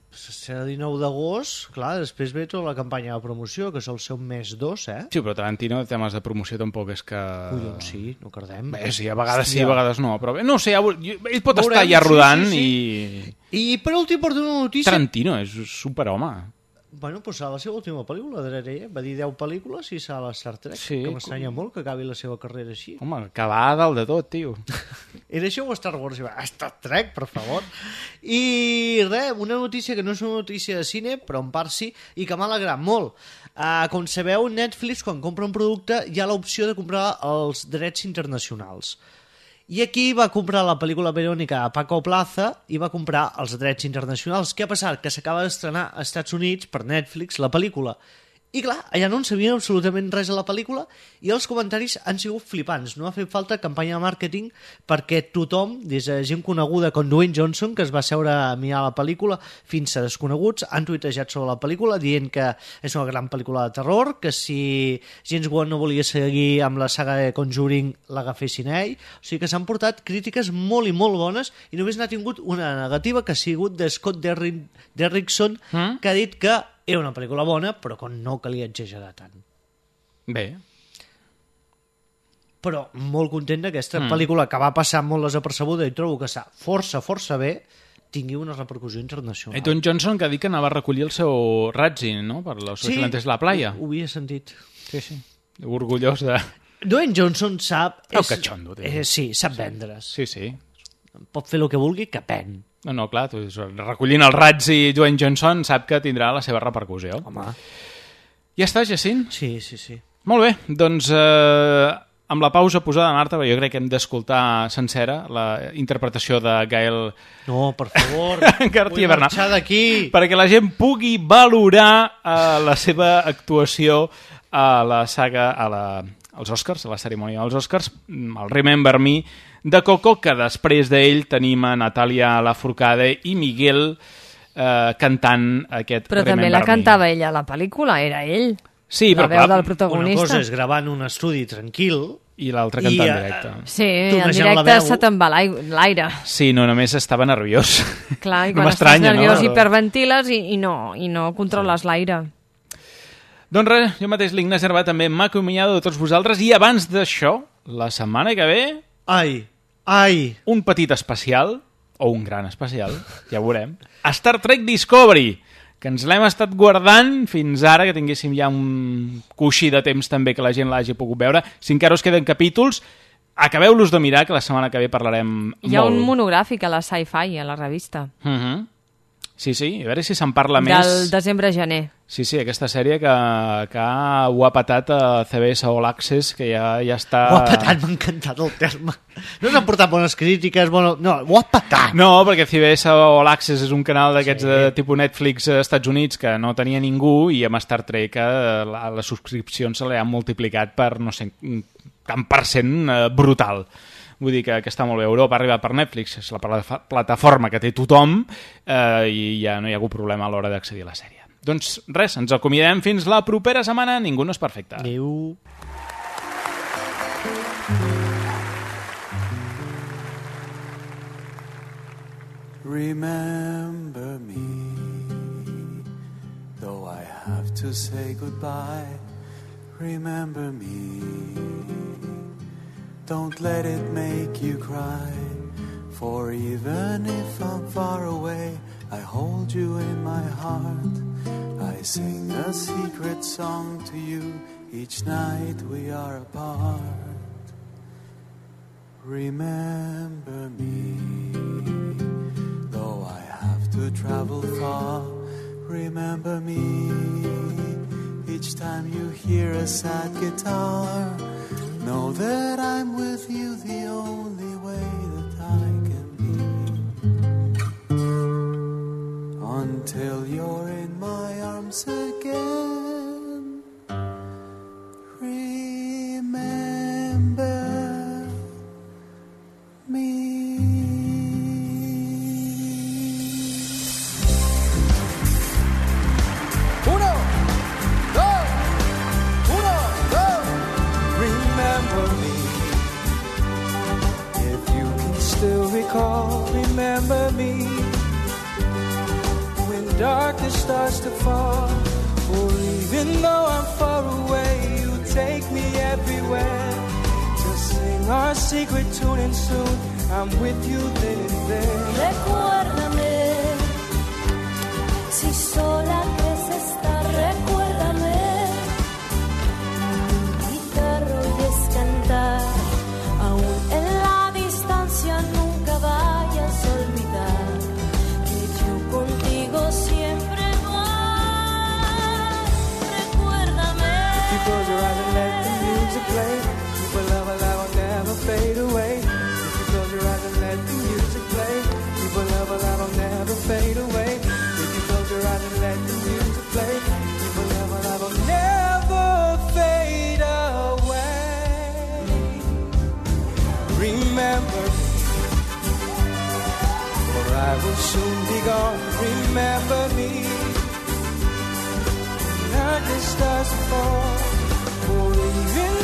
Serà el dinou d'agost, clar, després ve tota la campanya de promoció, que és el seu mes dos, eh?
Sí, però Tarantino, temes de promoció tampoc és que...
Collons, sí, no cardem.
Bé, sí, a vegades sí,
Hòstia.
a vegades no, però bé, no ho sé, ja, ho- jo- ell pot
Veurem,
estar ja
sí,
rodant
sí,
i...
I per últim porto una notícia...
Tarantino és superhome.
Bueno, doncs serà la seva última pel·lícula, darrere ella. Va dir deu pel·lícules i serà la Star Trek,
Sí,
que m'estranya molt que acabi la seva carrera així.
Home, que va a dalt de tot, tio.
Era això o Star Wars? I va, Star Trek, per favor. I res, una notícia que no és una notícia de cine, però en part sí, i que m'ha alegrat molt. Uh, com sabeu, Netflix, quan compra un producte, hi ha l'opció de comprar els drets internacionals. I aquí va comprar la pel·lícula Verònica a Paco Plaza i va comprar els drets internacionals. Què ha passat? Que s'acaba d'estrenar als Estats Units per Netflix la pel·lícula. I clar, allà no en sabien absolutament res de la pel·lícula i els comentaris han sigut flipants. No ha fet falta campanya de màrqueting perquè tothom, des de gent coneguda com Dwayne Johnson, que es va seure a mirar la pel·lícula, fins a desconeguts, han tuitejat sobre la pel·lícula dient que és una gran pel·lícula de terror, que si James Wan no volia seguir amb la saga de Conjuring l'agafessin a ell. O sigui que s'han portat crítiques molt i molt bones i només n'ha tingut una negativa, que ha sigut de Scott Derri- Derrickson,
Mm?
que ha dit que era una pel·lícula bona, però que no calia exagerar tant.
Bé.
Però molt content d'aquesta
Mm.
mm. pel·lícula que va passar molt desapercebuda i trobo que està força, força bé, tingui una repercussió internacional.
Eh, Don Johnson, que ha dit que anava a recollir el seu Razzie, no?, per los
Sí,
vigilantes de la playa.
ho havia sentit.
Sí, sí. Orgullós de...
Dwayne Johnson sap...
Oh, que xondo, tio.
eh, sí, sap vendre's.
Sí, sí.
Pot fer el que vulgui, que pen.
No, no, clar, tu, recollint el Razzie Dwayne Johnson sap que tindrà la seva repercussió.
Home.
Ja està, Jacint?
Sí, sí, sí.
Molt bé, doncs eh, amb la pausa posada, Marta, perquè jo crec que hem d'escoltar sencera la interpretació de Gael...
No, per favor,
García
vull
Bernal.
marxar d'aquí.
Perquè la gent pugui valorar eh, la seva actuació a la saga, a la, als Oscars, a la cerimònia dels Oscars, el Remember Me de Coco, que després d'ell tenim a Natàlia Lafourcade i Miguel eh, cantant aquest
Però
Remember
també la
Me.
cantava ella a la pel·lícula, era ell.
Sí,
la
però
veu
clar,
del protagonista.
Una cosa és gravar en un estudi tranquil
i l'altra cantant
i,
en directe.
Sí, en
tornejant la
directe
veu.
se te'n va l'ai- l'aire.
Sí, no, només estava nerviós.
Clar, i
No
quan estàs
m'estranya,
nerviós
no?
hiperventiles i, i, no, i no controles l'aire.
Doncs res, jo mateix, l'Ignasi Arbat, també m'ha acomiadat de tots vosaltres, i abans d'això, la setmana que ve...
Ai, ai...
Un petit especial, o un gran especial, ja ho veurem, Star Trek Discovery, que ens l'hem estat guardant fins ara, que tinguéssim ja un coixí de temps també que la gent l'hagi pogut veure. Si encara us queden capítols, acabeu-los de mirar, que la setmana que ve parlarem
Hi ha
molt.
un monogràfic a la Sci-Fi, a la revista.
Uh -huh. Sí, sí, a veure si se'n parla
Del
més.
Del desembre-gener.
Sí, sí, aquesta sèrie que, que ho ha patat a C B S All Access, que ja, ja està...
Ho ha patat, m'ha encantat el terme. No s'han portat bones crítiques, bueno, no, ho ha patat.
No, perquè C B S All Access és un canal d'aquests sí. de tipus Netflix als Estats Units que no tenia ningú, i amb Star Trek la, les subscripcions se li han multiplicat per, no sé, tant per cent eh, brutal. Vull dir que, que està molt bé. Europa ha arribat per Netflix, és la plataforma que té tothom, eh, i ja no hi ha hagut problema a l'hora d'accedir a la sèrie. Doncs res, ens acomiadem fins la propera setmana. Ningú no és perfecte.
Adéu.
Remember me, though I have to say goodbye. Remember me, don't let it make you cry. For even if I'm far away, I hold you in my heart. I sing a secret song to you each night we are apart. Remember me, though I have to travel far. Remember me, each time you hear a sad guitar. Know that I'm with you the only way that I can be, until you're in my arms again. Remember me. Uno, dos, uno, dos. Remember me. If you can still recall, remember me. When darkness starts to fall, or even though I'm far away, you take me everywhere. Just sing our secret tune and soon I'm with you then and there.
Recuérdame, si sola crees estar, recuérdame. Guitarra oyes cantar, aún en la distancia nunca vayas a olvidar que yo contigo siempre voy. Recuérdame.
If you close your eyes and let the music play, keep a love alive, will never fade away. If you close your eyes and let the music play, keep a love alive, will never fade away. If you close your eyes and let the music play, keep a love alive, will never fade away. Remember me, for I will soon be gone. Remember me, darkness starts to fall, for even